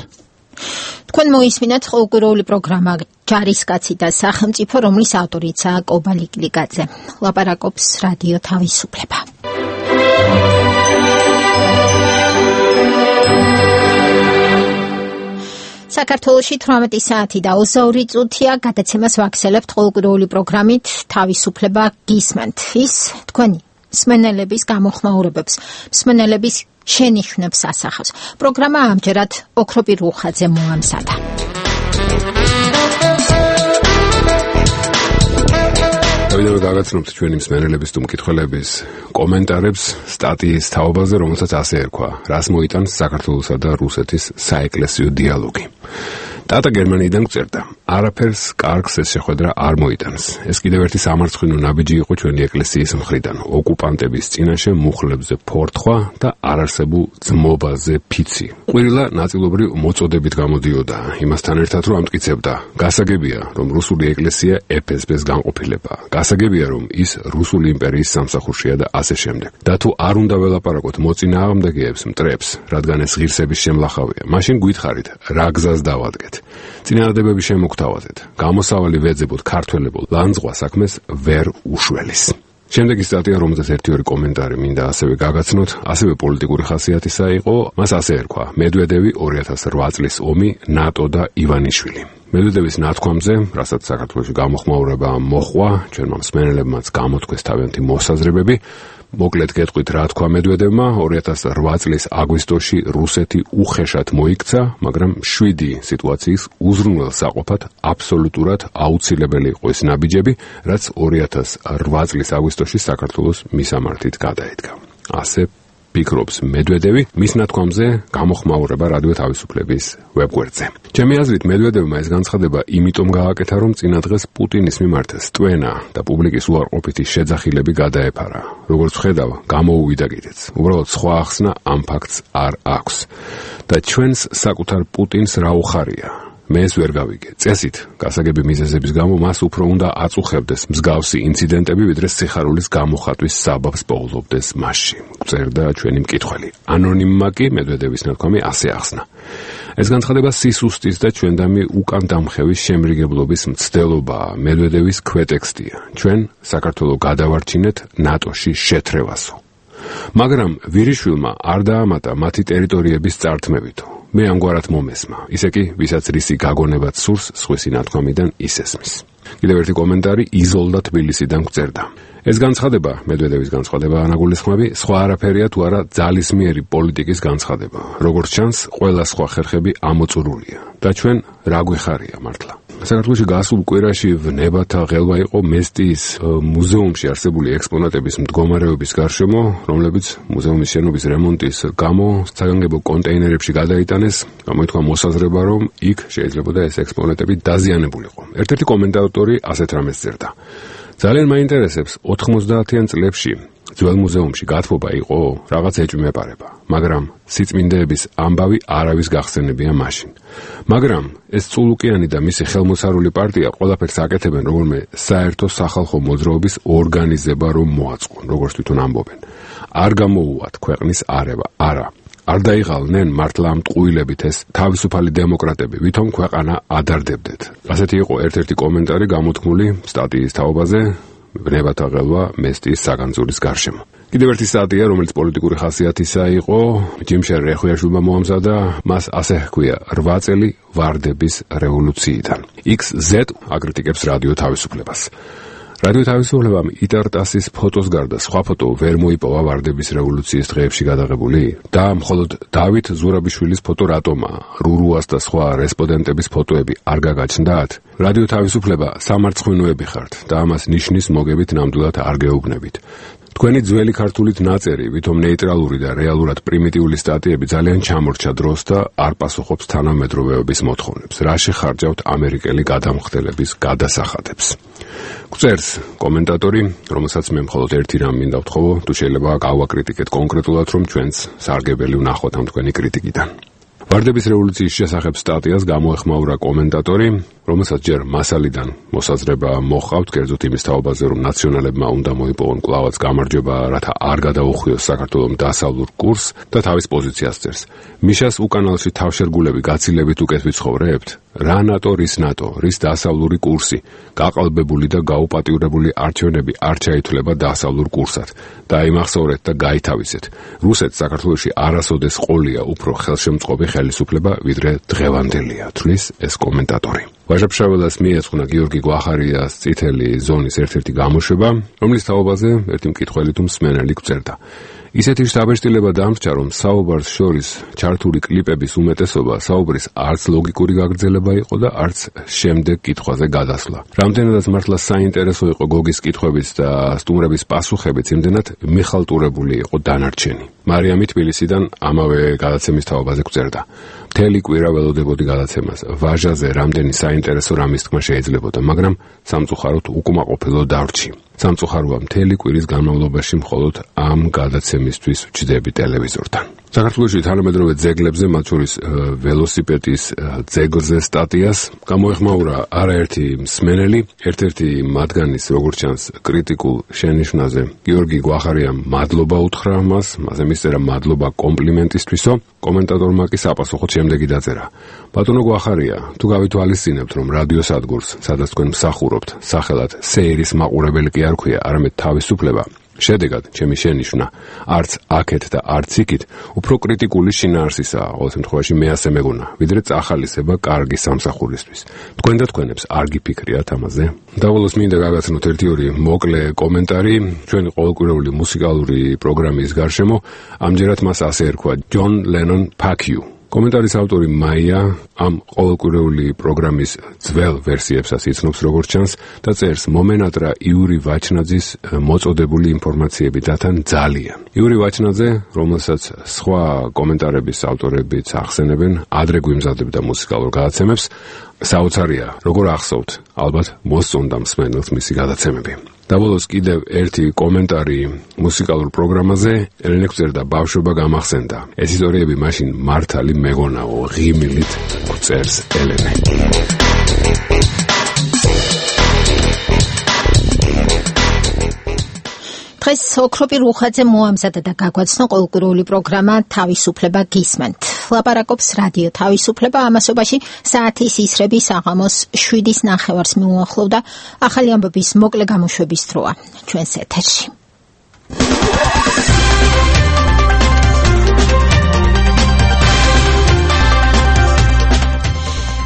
თქვენ მოისმინეთ ყოველკვირეული პროგრამა ჯარისკაცი და სახელმწიფო, რომლის ავტორიცაა კობა ლიკლიკაძე. ლაპარაკობს რადიო თავისუფლება. საქართველოში თვრამეტი საათი და ოცდაორი წუთია, გადაცემას ვაქცელებთ ყოველკვირეული პროგრამით თავისუფლება გისმენთ. ის თქვენი მსმენელების გამოხმაურებებს, მსმენელების შენიშვნებს ასახავს. პროგრამა ამჯერად ოქროპირ უხაძე მოამზადა. დავიდე გაგაცნობთ ჩვენი მსმენელების თუ მკითხველების კომენტარებს სტატიის თაობაზე, რომელსაც ასე ერქვა: რას მოიტანს საქართველოსა და რუსეთის საეკლესიო დიალოგი. ტატა გერმანიიდან გწერდა: არაფერს კარგს ეს შეხვედრა არ მოიტანს. ეს კიდევ ერთი სამარცხვინო ნაბიჯი იყო ჩვენი ეკლესიის მხრიდან, ოკუპანტების წინაშე მუხლებზე ფორთხვა და არარსებულ ძმობაზე ფიცი. ყვირილა ნაწილობრივ მოწოდებით გამოდიოდა, იმასთან ერთად რომ ამტკიცებდა: გასაგებია, რომ რუსული ეკლესია ეფ ეს ბეს განყოფილება. გასაგებია, რომ ის რუსული იმპერიის სამსახურშია და ასე შემდეგ. და თუ არ უნდა ველაპარაკოთ მოწინააღმდეგეებს, მტრებს, რადგან ეს ღირსების შემლახავია, მაშინ გითხარით, რა გზას დავადგეთ. წინააღმდეგები შემოგთავაზეთ. გამოსავალი ვეძებოთ ქართველებო ლანძღვა საქმეს ვერ უშველის. შემდეგი სტატია, რომელზეც ერთი-ორი კომენტარი მინდა ასევე გაგაცნოთ, ასევე პოლიტიკური ხასიათისა იყო, მას ასე ერქვა: მედვედევი ორი ათას რვა წლის ომი, ნატო და ივანიშვილი. მედვედევის ნათქვამზე, რასაც საქართველოში გამოხმაურება მოხვა, ჩვენმა მსმენელებმაც გამოთქვეს თავიანთი მოსაზრებები. მოკლედ გეტყვით, რა თქვა მედვედევმა, ორი ათას რვა წლის აგვისტოში რუსეთი უხეშად მოიქცა, მაგრამ შვიდი სიტუაციის უზრუნველსაყოფად აბსოლუტურად აუცილებელი იყო ეს ნაბიჯები, რაც ორი ათას რვა წლის აგვისტოში საქართველოს მისამართით გადაედგა. ასე ფიქრობს მედვედევი, მის ნათქვამზე გამოხმაურება რადიო თავისუფლების ვებგვერდზე. ჩემი აზრით, მედვედევმა ეს განცხადება იმიტომ გააკეთა, რომ წინა დღეს პუტინის მიმართ სტვენა და პუბლიკის უარყოფითი შეძახილები გადაეფარა. როგორც ხედავ, გამოუვიდა კიდეც. უბრალოდ სხვა ახსნა ამ ფაქტს არ აქვს. და ჩვენს საკუთარ პუტინს რა უხარია? მე ეს ვერ გავიგე. წესით, გასაგები მიზეზების გამო მას უფრო უნდა აწუხებდეს მსგავსი ინციდენტები, ვიდრე სიხარულის გამოხატვის საბაბს პოულობდეს მასში. წერდა ჩვენი მკითხველი. ანონიმმა კი მედვედევის ნათქვამი ასე ახსნა. ეს განცხადება სისუსტის და ჩვენდამი უკან დამხევის შემრიგებლობის მცდელობაა. მედვედევის ქვეტექსტია. ჩვენ საქართველოს გადავარჩინეთ ნატოში შეთრევასო. მაგრამ ვირიშვილმა არ დაამატა მათი ტერიტორიების წართმევითო. მე ამგვარად მომესმა. ისე კი, ვისაც რისი გაგონებად სურს, სხვისი ნათქვამიდან ისესმის. კიდევ ერთი კომენტარი იზოლდა თბილისიდან გვწერდა. ეს განცხადება, მედვედევის განცხადება ანაგულისხმები, სხვა არაფერია თუ არა ძალისმიერი პოლიტიკის განცხადება. როგორც ჩანს, ყველა სხვა ხერხები ამოწურულია და ჩვენ რა გვეხარია მართლა. საქართველოში გასულ კვირაში ვნებათა ღელვა იყო მესტიის მუზეუმში არსებული ექსპონატების მდგომარეობის გარშემო, რომლებიც მუზეუმის შენობის რემონტის გამო საგანგებო კონტეინერებში გადაიტანეს. გამოითქვა მოსაზრება, რომ იქ შეიძლებოდა ეს ექსპონატები დაზიანებულიყო. ერთ-ერთი კომენტატორი ასეთ რამეს წერდა. ძალიან მაინტერესებს ოთხმოცდაათიან წლებში ძველ მუზეუმში გათბობა იყო რაღაც ეჭვმეპარება, მაგრამ სიწმინდეების ამბავი არავის გახსენებია მაშინ. მაგრამ ეს წულუკიანი და მისი ხელმოსარული პარტია ყველაფერს აკეთებენ როგორმე საერთო სახალხო მოძრაობის ორგანიზება რომ მოაწყონ, როგორც თვითონ ამბობენ. არ გამოუვათ ქვეყნის არევა, არა. არ დაიღალნენ მართლა ამ ტყუილებით ეს თავისუფალი დემოკრატები, ვითომ ქვეყანა ადარდებდეთ. ასეთი იყო ერთ-ერთი კომენტარი გამოთქმული სტატიის თაობაზე ვნებათა ღელვა მესტიის საგანძურის გარშემო. კიდევ ერთი სტატია, რომელიც პოლიტიკური ხასიათისა იყო, ჯიმშერ რეხვიაშვილმა მოამზადა, მას ასე ჰქვია რვა წელი ვარდების რევოლუციიდან. ექს ზედ აკრიტიკებს რადიო თავისუფლებას. რადიო თავისუფლებამ იტარტასის ფოტოს გარდა სხვა ფოტო ვერ მოიპოვა ვარდების რევოლუციის დღეებში გადაღებული და მხოლოდ დავით ზურაბიშვილის ფოტო რატომაა? რურუას და სხვა რესპონდენტების ფოტოები არ გაგაჩნდათ? რადიო თავისუფლება სამარცხვინოები ხართ და ამას ნიშნის მოგებით ნამდვილად არ გეუბნებით. თქვენი ძველი ქართულით ნაწერი, ვითომ ნეიტრალური და რეალურად პრიმიტიული სტატიები ძალიან ჩამორჩა დროს და არ პასუხობს თანამედროვეობის მოთხოვნებს. რა შეხარჯავთ ამერიკელი გადამხდელების გადასახადებს? გვწერს კომენტატორი, რომელსაც მე მხოლოდ ერთი რამ მინდა ვთხოვო, თუ შეიძლება გავაკრიტიკეთ კონკრეტულად, რომ ჩვენც სარგებელი ვნახოთ ამ თქვენი κρიტიკიდან. ვარდების რევოლუციის შესახებ სტატიას გამოეხმაურა კომენტატორი, რომელსაც ჯერ მასალიდან მოსაზრება მოჰყავთ, კერძოდ იმის თაობაზე, რომ ნაციონალებმა უნდა მოიპოვონ კვლავაც გამარჯვება, რათა არ გადაუხვიოს საქართველოს დასავლურ კურსს და თავის პოზიციას წერს. მიშას უკანალში თავშერგულები გაცილებით უკეთ ვიცხოვრებთ? რა ნატო, რის ნატო, რის დასავლური კურსი, გაყალბებული და გაუპატიურებული არჩევნები არ ჩაითვლება დასავლურ კურსად. დაიმახსოვრეთ და გაითავისეთ. რუსეთს საქართველოში არასოდეს ყოლია უფრო ხელშემწყობი ხელისუფლება, ვიდრე დღევანდელია, თვლის ეს კომენტატორი. ვაჟა-ფშაველას მიეძღვნა გიორგი გვახარიას წითელი ზონის ერთ-ერთი გამოშვება, რომლის თაობაზე ერთი მკითხველი თუ მსმენელი გვწერდა. ისეთი შთაბეჭდილება დამრჩა, რომ საუბარს შორის ჩართული კლიპების უმეტესობა საუბრის არც ლოგიკური გაგრძელება იყო და არც შემდეგ კითხვაზე გადასვლა. რამდენადაც მართლა საინტერესო იყო გოგის კითხვებიც და სტუმრების პასუხებიც, იმდენად მიხალტურებული იყო დანარჩენი. მარიამი თბილისიდან ამავე გადაცემის თაობაზე გვწერდა. მთელი კვირა ველოდებოდი გადაცემას. ვაჟაზე რამდენი საინტერესო რამის თქმა შეიძლებოდა, მაგრამ სამწუხაროდ უკმაყოფილო დავრჩი. სამწუხაროა მთელი კვირის განმავლობაში მხოლოდ ამ გადაცემისთვის ვჩდები ტელევიზორთან. საქართველოში თანამედროვე ძეგლებზე, მათ შორის ველოსიპედის ძეგლზე სტატიას გამოეხმაურა არაერთი მსმენელი, ერთ-ერთი მათგანის, როგორც ჩანს, კრიტიკულ შენიშვნაზე გიორგი გვახარიამ მადლობა უთხრა მას, მასე მისწერა მადლობა კომპლიმენტისთვისო. კომენტატორმა კი საპასუხოდ შემდეგი დაწერა. ბატონო გვახარია, თუ გავითვალისწინებთ, რომ რადიო სადგურს, სადაც თქვენ მსახურობთ, სახელად სეირის მაყურებელი კი არ ქვია, არამედ თავისუფლება, შედეგად, ჩემი შენიშვნა, არც აქეთ და არც იქით, უფრო კრიტიკული შინაარსისაა, ყოველ შემთხვევაში მე ასე მეგონა, ვიდრე წახალისება კარგი სამსახურისთვის. თქვენ და თქვენებს არ გიფიქრიათ ამაზე? დაბოლოს მინდა გაგაცნოთ ერთი ორი მოკლე კომენტარი ჩვენი ყოველკვირეული მუსიკალური პროგრამის გარშემო, ამჯერად მას ასე ერქვა ჯონ ლენონ ფაქიუ. კომენტარის ავტორი მაია ამ ყოველკვირეული პროგრამის ძველ ვერსიებსაც იცნობს როგორც ჩანს და წერს მომენატრა იური ვაჩნაძის მოწოდებული ინფორმაციები დათან ძალიან. იური ვაჩნაძე, რომელსაც სხვა კომენტარების ავტორებიც ახსენებენ, ადრე გვიმზადებდა მუსიკალურ გადაცემებს, საოცარია, როგორ ახსოვთ, ალბათ მოსწონდა მსმენელს მისი გადაცემები. დაბოლოს კიდევ ერთი კომენტარი მუსიკალურ პროგრამაზე. ელენე გვწერდა, ბავშვობა გამახსენდა. ეს ისტორიები მაშინ მართალი მეგონაო, ღიმილით წერს ელენე. დღეს ოქროპი რუხაძე მოამზადა და გაგვაცნო ყოველკვირეული პროგრამა თავისუფლება გისმენთ. ლაპარაკობს რადიო თავისუფლება, ამასობაში საათის ისრები საღამოს შვიდის ნახევარს მიუახლოვდა. ახალი ამბების მოკლე გამოშვების დროა ჩვენს ეთერში.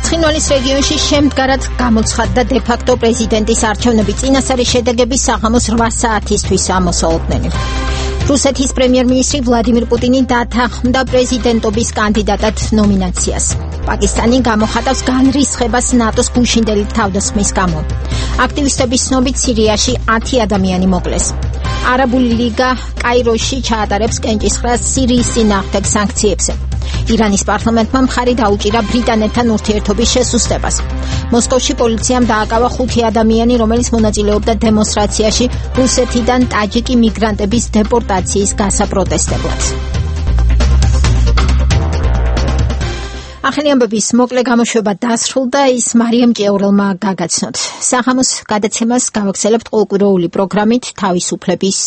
ცხინვალის რეგიონში შემდგარად გამოცხადდა დე-ფაქტო პრეზიდენტის არჩევნები. წინასწარი შედეგები საღამოს რვა საათისთვის ამოსაუბრდნენ. რუსეთის პრემიერ-მინისტრი ვლადიმირ პუტინი დათანხმდა პრეზიდენტობის კანდიდატად ნომინაციას. პაკისტანი გამოხატავს განრისხებას ნატოს გუშინდელი თავდასხმის გამო. აქტივისტების ცნობით სირიაში ათი ადამიანი მოკლეს. არაბული ლიგა კაიროში ჩაატარებს კენჭისყრას სირიის წინააღმდეგ სანქციებზე. ირანის პარლამენტმა მხარი დაუჭირა ბრიტანეთთან ურთიერთობის შესუსტებას. მოსკოვში პოლიციამ დააკავა ხუთი ადამიანი, რომელიც მონაწილეობდა დემონსტრაციაში რუსეთიდან ტაჯიკი მიგრანტების დეპორტაციის გასაპროტესტებლად. ახალი ამბების მოკლე გამოშვება დასრულდა, ის მარიამ ჭიაურელმა გაგაცნოთ. საღამოს გადაცემას გავაგრძელებთ ყოველკვირეული პროგრამით თავისუფლების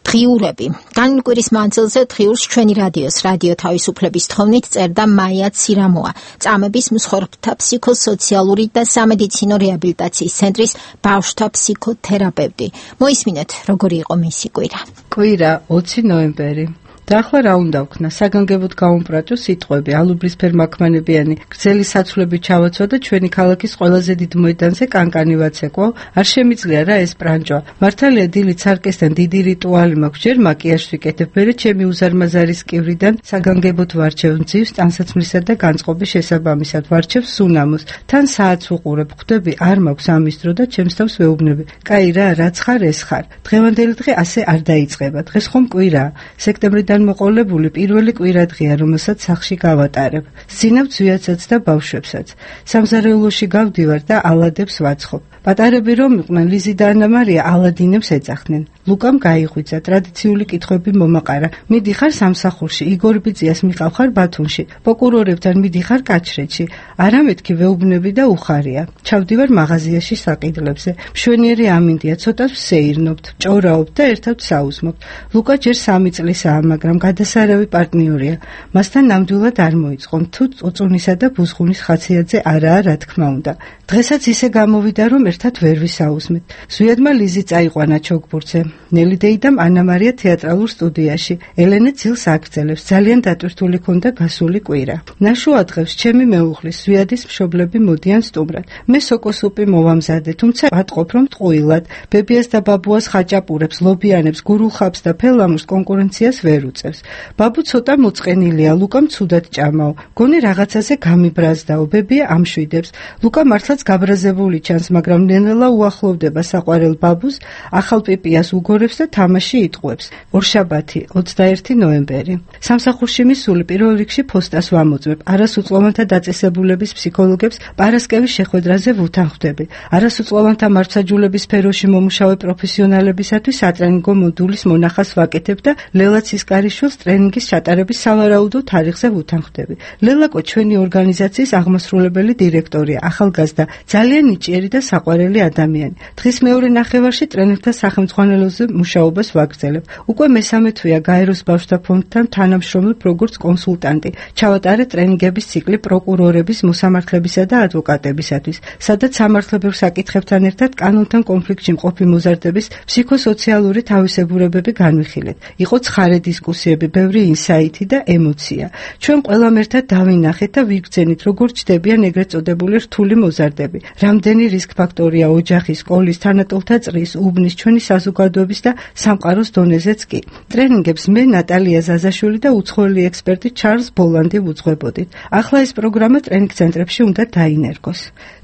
დღიურები. განვლილი კვირის მანძილზე დღიურს ჩვენი რადიოს რადიო თავისუფლების თხოვნით წერდა მაია ცირამოა, წამების მსხვერპლთა ფსიქოსოციალური და სამედიცინო რეაბილიტაციის ცენტრის ბავშვთა ფსიქოთერაპევტი. მოისმინეთ, როგორი იყო მისი კვირა. კვირა ოცი ნოემბერი. და ახლა რა უნდა ვქნა, საგანგებოდ გაუმპრაჭო სიტყვები, ალუბრისფერ მაქმანებიანი გრძელი საცვლები ჩავაცვა და ჩვენი ქალაქის ყველაზე დიდ მოედანზე კანკანი ვაცეკვო. არ შემიძლია რა ეს პრანჭვა. მართალია დილით სარკესთან დიდი რიტუალი მაქვს, ჯერ მაკიაჟს ვიკეთებ, მერე ჩემი უზარმაზარი სკივრიდან საგანგებოდ ვარჩევ მძივს, ტანსაცმლისა და განწყობის შესაბამისად ვარჩევ სუნამოს. თან საათს ვუყურებ, ხვდები, არ მაქვს ამის დრო და ჩემს თავს ვეუბნები. კაი რა, რაც ხარ ეს ხარ. დღევანდელი დღე ასე არ დაიწყება. დღეს ხომ კვირაა. სექტემბრიდან მოყოლებული პირველი კვირადღეა, რომელსაც სახლში გავატარებ. სცინავ ძვიაცაც და ბავშვებსაც. სამზარეულოში გავდივარ და ალადებს ვაცხობ. პატარები რომ იყვნენ, ლიზი და ანა მარია ალადინებს ეძახდნენ. ლუკამ გაიღვიძა, ტრადიციული კითხვები მომაყარა. მიდიხარ სამსახურში, იგორ ბიძიას მიყავხარ ბათუმში, პროკურორებთან მიდიხარ კაჩრეთში. არა მეთქი ვეუბნები და უხარია. ჩავდივარ მაღაზიაში საყიდლებზე. მშვენიერი ამინდია, ცოტას ვსეირნობთ, ჭორაობთ და ერთად საუზმობთ. ლუკა ჯერ სამი წლისაა, მაგრამ გადასარავი პარტნიორია. მასთან ნამდვილად არ მოიწყომ, თუ წუწუნისა და ბუზღუნის ხასიათზე არაა, რა თქმა უნდა. დღესაც ისე გამოვიდა, რომ ერთად ვერ ვისაუზმეთ. ზვიადმა ლიზი წაიყვანა ჩოგბურთზე. ნელი დეიდამ ანა მარია თეატრალურ სტუდიაში. ელენე ძილს აგრძელებს, ძალიან დატვირთული ქონდა გასული კვირა. ნაშუა დღეს ჩემი მეუღლის ზვიადის მშობლები მოდიან სტუმრად. მე სოკოსუპი მოვამზადე, თუმცა ვატყობ რომ ტყუილად. ბებიას და ბაბუას ხაჭაპურებს, ლობიანებს, გურულხაბს და ფელამურს კონკურენციას ვერ უწევს. ბაბუ ცოტა მოწყენილია, ლუკამ ცუდად ჭამაო. გონი რაღაცაზე გამიბრაზდაო, ბებია ამშვიდებს. ლუკა მართლაც გაბრაზებული ჩანს, მაგრამ ნელ-ნელა უახლოვდება საყვარელ ბაბუს, ახალ პიპიას უგორებს და თამაში იტყუებს. ორშაბათი, ოცდაერთი ნოემბერი. სამსახურში მისული პირველ რიგში ფოსტას ვამოწმებ. არასუწლოვანთა დაწესებულების ფსიქოლოგებს პარასკევის შეხვედრაზე ვუთანხმდები. არასუწლოვანთა მართლმსაჯულების სფეროში მომუშავე პროფესიონალებისათვის სატრენინგო მოდულის მონახას ვაკეთებ და ლელა ცისკარიშვილს ტრენინგის ჩატარების სავარაუდო თარიღზე ვუთანხმდები. ლელაკო ჩვენი ორგანიზაციის აღმასრულებელი დირექტორია, ახალგაზრდა, ძალიან ნიჭიერი და საყვარელი ადამიანი. დღის მეორე ნახევარში ტრენერთა სახელმძღვანელოზე მუშაობას ვაგრძელებ. უკვე მესამე თვეა გაეროს ბავშვთა ფონდთან თანამშრომლობ როგორც კონსულტანტი. ჩავატარე ტრენინგების ციკლი პროკურორების, მოსამართლებისა და ადვოკატებისათვის, სადაც სამართლებრივ საკითხებთან ერთად კანონთან კონფლიქტში მყოფი მოზარდების ფსიქოსოციალური თავისებურებები განვიხილეთ. იყო ცხარე დისკუსიები, ბევრი ინსაიტი და ემოცია. ჩვენ ყველამ ერთად დავინახეთ და ვიგრძენით, როგორ ჩდებიან ეგრეთ წოდებული რთული მოზარდები. რამდენი რისკ ფაქტორია ოჯახის, სკოლის, თანატოლთა წრის, უბნის, ჩვენი საზოგადოების და სამყაროს დონეზეც კი. ტრენინგებს მე ნატალია ზაზაშვილი და უცხოელი ექსპერტი ჩარლზ ბოლანდი ვუძღვებოდით. ახლა ეს პროგრამა ტრენინგ ცენტრებში უნდა დაინერგოს.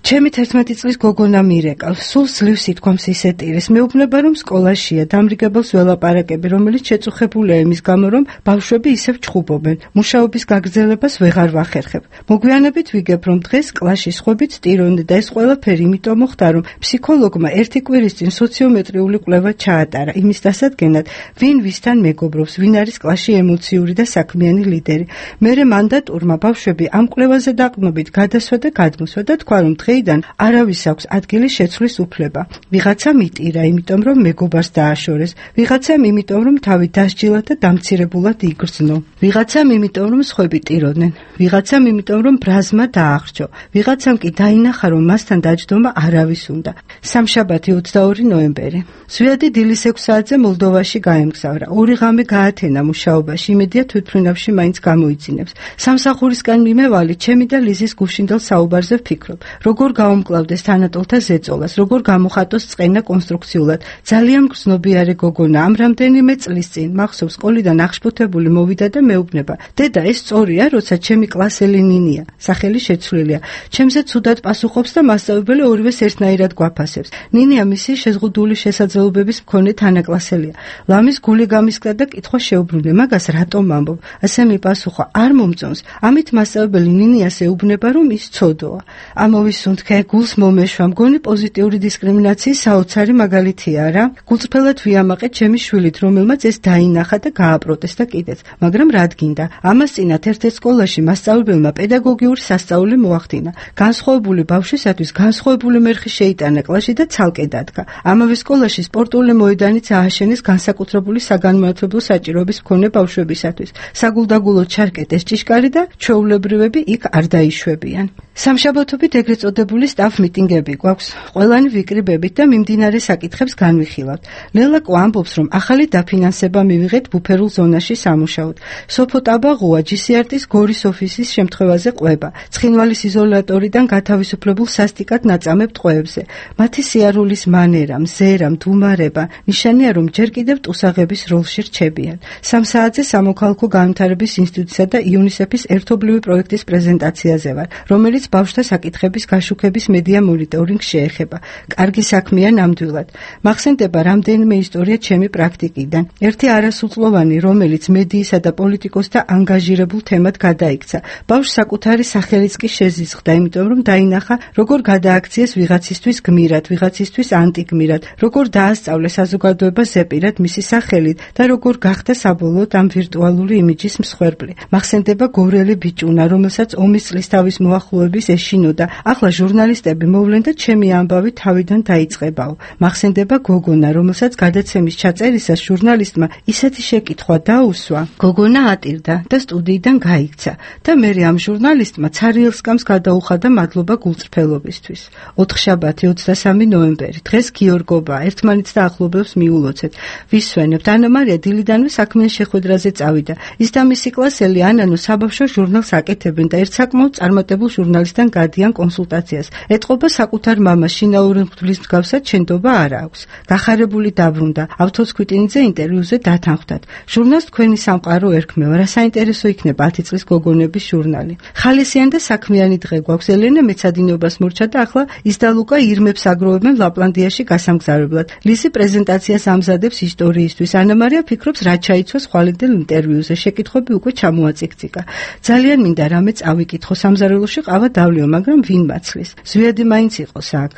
ჩემი თერთმეტი წლის გოგონა მირეკავს, სულ ძლივს ითქვამს ისეთ ირეს. მეუბნება რომ სკოლაშია, დამრიგებელს ველაპარაკები, რომელიც შეწუხებულია იმის გამო გამო, რომ ბავშვები ისევ ჩხუბობენ. მუშაობის გაგრძელებას ვეღარ ვახერხებ. მოგვიანებით ვიგებ, რომ დღეს კლასში სხვებით ტირონე და ეს ყველაფერი იმიტომ მოხდა, რომ ფსიქოლოგმა ერთი კვირის წინ სოციომეტრიული კვლევა ჩაატარა იმის დასადგენად, ვინ ვისთან მეგობრობს, ვინ არის კლასში ემოციური და საქმიანი ლიდერი. მერე მანდატურმა ბავშვები ამ კვლევაზე დაყრდნობით გადასვა და გადმოსვა და თქვა, რომ დღეიდან არავის აქვს ადგილი შეცვლის უფლება. ვიღაცამ იტირა, იმიტომ რომ მეგობარს დააშორეს, ვიღაცამ იმიტომ რომ თავი დასჯილა და დამცირებულად იგრძნო, ვიღაცამ იმიტომ რომ სხვები ტიროდნენ, ვიღაცამ იმიტომ რომ ბრაზმა დაახრჩო, ვიღაცამ კი დაინახა, რომ მასთან დაჯდომა არავის უნდა. სამშაბათი ოცდაორი ნოემბერი. ზვიადი დილის ექვს საათზე მოლდოვაში გაემგზავრა. ორი ღამე გაათენა მუშაობაში, იმედია თვითმფრინავში მაინც გამოიძინებს. სამსახურისგან მიმევალი, ჩემი და ლიზის გუშინდელ საუბარზე ვფიქრობ, როგორ გაუმკლავდეს თანატოლთა ზეწოლას, როგორ გამოხატოს წყენა კონსტრუქციულად. ძალიან გრძნობიარე გოგონა, ამ რამდენიმე წლის წინ მახსოვს, სკოლიდან აღშფოთებული მოვიდა და მეუბნება: დედა, ეს სწორია, როცა ჩემი კლასელი ნინია, სახელი შეცვლილია, ჩემზე ცუდად პასუხობს და მასწავლებელი ორივეს ერთნაირად გვაფასებს. ნინია მისი შეზღუდული შესაძლებლობების მქონე თანაკლასელია. ლამის გული გამისკდა და კითხვა შეუბრუნდა: მაგას რატომ ამბობ? ასე მიპასუხა: არ მომწონს. ამით მასწავლებელი ნინიას ეუბნება, რომ ის ცოდოა. ამოვისუნთქე, გულს მომეშვა, მგონი პოზიტიური დისკრიმინაციის საოცარი მაგალითია რა. გულწრფელად ვიამაყე ჩემი შვილით, რომელმაც ეს დაინახა და გააპროტესტა კიდეც, მაგრამ რად გინდა? ამას წინათ ერთ-ერთ სკოლაში მასწავლებელმა პედაგოგიური სასწაული მოახდინა. განსხვავებული ბავშვისათვის განსხვავებული მერხი შეიტანა კლასში და ცალკე დადგა. ამავე სკოლაში სპორტული მოედანიც ააშენეს განსაკუთრებული საგანმანათლებლო საჭიროების მქონე ბავშვებისათვის. საგულდაგულოდ ჩარკეტეს ჭიშკარი და ჩვეულებრივები იქ არ დაიშვებიან. სამშაბათობით ეგრეთ წოდებული სტაფ მიტინგები გვაქვს. ყველანი ვიკრიბებით და მიმდინარე საკითხებს განვიხილავთ. ლელაკო ამბობს, რომ ახალი დაფინანსება მივიღეთ ბუფერულ ზონაში სამუშაოდ. სოფო ტაბაღუა ჯი სი არ ტის გორის ოფისის შემთხვევაზე ყვება. ცხინვალის იზოლატორიდან გათავისუფლებულ სასტიკად ნაწამებ ტყვეებზე. მათი სიარულის მანერა, მზერა, მდუმარება ნიშანია, რომ ჯერ კიდევ ტუსაღების როლში რჩებიან. სამ საათზე სამოქალაქო განვითარების ინსტიტუტისა და იუნისეფის ერთობლივი პროექტის პრეზენტაციაზე ვარ, რომელიც ბავშვთა საკითხების გაშუქების მედია მონიტორინგს შეეხება. კარგი საქმეა ნამდვილად. მახსენდება რამდენიმე ისტორია ჩემი პრაქტიკიდან. ერთი არასრულწლოვანი, რომელიც მედიისა და პოლიტიკოსთა ანგაჟირებულ თემად გადაიქცა. ბავშვს საკუთარი სახელიც კი შეზიზღდა, იმიტომ რომ დაინახა, როგორ გადააქციეს ვიღაცისთვის გმირად, ვიღაცისთვის ანტიგმირად, როგორ დაასწავლეს საზოგადოება ზეპირად მისი სახელით და როგორ გახდა საბოლოოდ ამ ვირტუალური იმიჯის მსხვერპლი. მახსენდება გორელი ბიჭუნა, რომელსაც ომის წლისთავის მოახლოების ეშინოდა. ახლა ჟურნალისტები მოვლენ და ჩემი ამბავი თავიდან დაიწყებაო. მახსენდება გოგონა, რომელსაც გადაცემის ჩაწერისას ჟურნალისტმა ისეთი შეკითხვა დაუსვა, გოგონა ატირდა და სტუდიიდან გაიქცა და მერე ამ ჟურნალისტმა ცარიელსკამს გადაუხადა მადლობა გულწრფელობისთვის. ოთხშაბათი ოცდასამი ნოემბერი. დღეს გიორგობა, ერთმანეთს და ახლობელს მიულოცეთ. ვისვენებთ. ანა მარია დილიდანვე საქმიან შეხვედრაზე წავიდა. ის და მისი კლასელი ანანო საბავშვო ჟურნალს აკეთებენ და ერთ საკმაოდ წარმატებულ ჟურნალისტთან გადიან კონსულტაციას. ეტყობა საკუთარ მამას, შინაური მღვდლის მსგავსად შენდობა არ აქვს. გახარებული დაბრუნდა. ავთოს ქვიტინიძე ინტერვიუზე დათანხმდათ. ჟურნალს თქვენი სამყარო ერქმევა, რა საინტერესო იქნება ათი წლის გოგონების ჟურნალი. ხალისიან და საქმიანი დღე გვაქვს. ელენე მეცადინეობას მორჩა და ახლა ის და ლუკა ირმებს აგროვებენ ლაპლანდიაში გასამგზავრებლად. ლიზი პრეზენტაციას ამზადებს ისტორიისთვის. ანა მარია ფიქრობს, რა ჩაიცვა ხვალინდელ ინტერვიუზე. შეკითხვები უკვე ჩამოაწიქციკა. ძალიან მინდა რამე წავიკითხო, სამზარეულოში ყავა დავლიო, მაგრამ ვინ მაცლის? ზვიადი მაინც იყოს აქ.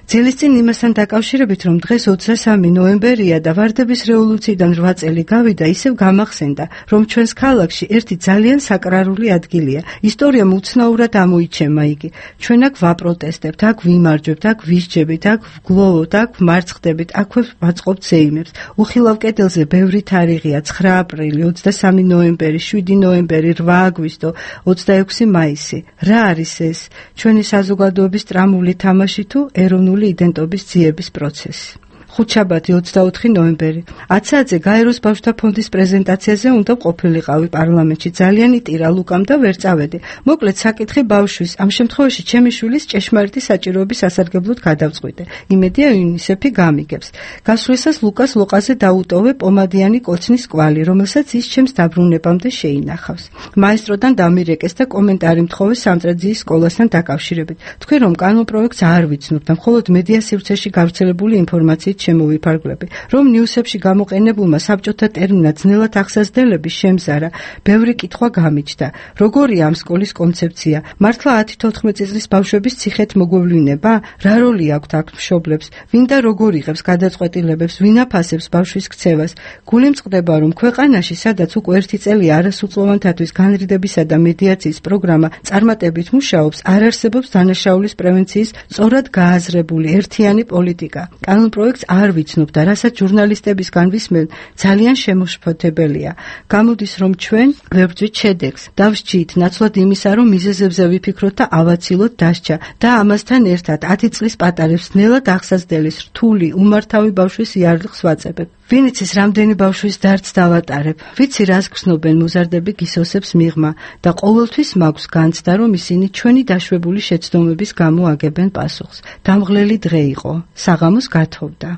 ძილისწინ იმასთან დაკავშირებით, რომ დღეს ოცდასამი ნოემბერია და ვარდების რევოლუციიდან რვა წელი გავიდა, ისევ გამახსენდა, რომ ჩვენს ქალაქში ერთი ძალიან საკრარული ადგილია. ისტორიამ უცნაურად ამოიჩემა იგი. ჩვენ აქ ვაპროტესტებთ, აქ ვიმარჯვებთ, აქ ვისჯებით, აქ ვგლოვობთ, აქ ვმარცხდებით, აქვე ვაწყობთ ზეიმებს. უხილავ კედელზე ბევრი თარიღია: ცხრა აპრილი, ოცდასამი ნოემბერი, შვიდი ნოემბერი, რვა აგვისტო, ოცდაექვსი მაისი. რა არის ეს? ჩვენი საზოგადოების ტრამული თამაში თუ ეროვნული იდენტობის ძიების პროცესი. ხუთშაბათი ოცდაოთხი ნოემბერი. ათ საათზე გაეროს ბავშვთა ფონდის პრეზენტაციაზე უნდა ყოფილიყავი პარლამენტში. ძალიან იტირა ლუკამ და ვერ წავედი. მოკლედ საკითხი ბავშვის, ამ შემთხვევაში ჩემი შვილის ჭეშმარიტი საჭიროების სასარგებლოდ გადავწყვიტე. იმედია იუნისეფი გამიგებს. გასვლისას ლუკას ლოყაზე დაუტოვე პომადიანი კოცნის კვალი, რომელსაც ის ჩემს დაბრუნებამდე შეინახავს. მაესტროდან დამირეკეს და კომენტარი მთხოვე სამტრედიის სკოლასთან დაკავშირებით. თქვენ რომ კანონპროექტს არ ვიცნობთ და მხოლოდ მედია სივრცეში გავრცელებული ინფორმაციით ამით შემოვიფარგლები, რომ ნიუსებში გამოყენებულმა საბჭოთა ტერმინად ძნელად აღსაზრდელების შემზარა, ბევრი კითხვა გამიჩნდა. როგორია ამ სკოლის კონცეფცია? მართლა ათი თოთხმეტი წლის ბავშვების ციხეთ მოგვევლინება? რა როლი აქვთ აქ მშობლებს? ვინ და როგორ იღებს გადაწყვეტილებებს? ვინ აფასებს ბავშვის ქცევას? გული მწყდება, რომ ქვეყანაში, სადაც უკვე ერთი წელი არასრულწლოვანთათვის განრიდებისა და მედიაციის პროგრამა წარმატებით მუშაობს, არ არსებობს დანაშაულის პრევენციის სწორად გააზრებული ერთიანი პოლიტიკა. კანონპროექტს არ ვიცნობ და რასაც ჟურნალისტებისგან ვისმენ, ძალიან შემოშფოთებელია. გამოდის, რომ ჩვენ ვერ ვძვით შედეგს. დავსჯით ნაცვლად იმისა, რომ მიზეზებზე ვიფიქროთ და ავაცილოთ დასჯა და ამასთან ერთად ათი წლის პატარებს ძნელად აღსაზრდელის რთული, უმართავი ბავშვის იარლიხს ვაწებებ. ვინ იცის, რამდენი ბავშვის დარდს დავატარებ? ვიცი, რას გრძნობენ მუზარდები გისოსებს მიღმა და ყოველთვის მაქვს განცდა, რომ ისინი ჩვენი დაშვებული შეცდომების გამო აგებენ პასუხს. დამღლელი დღე იყო. საღამოს გათხოვდა.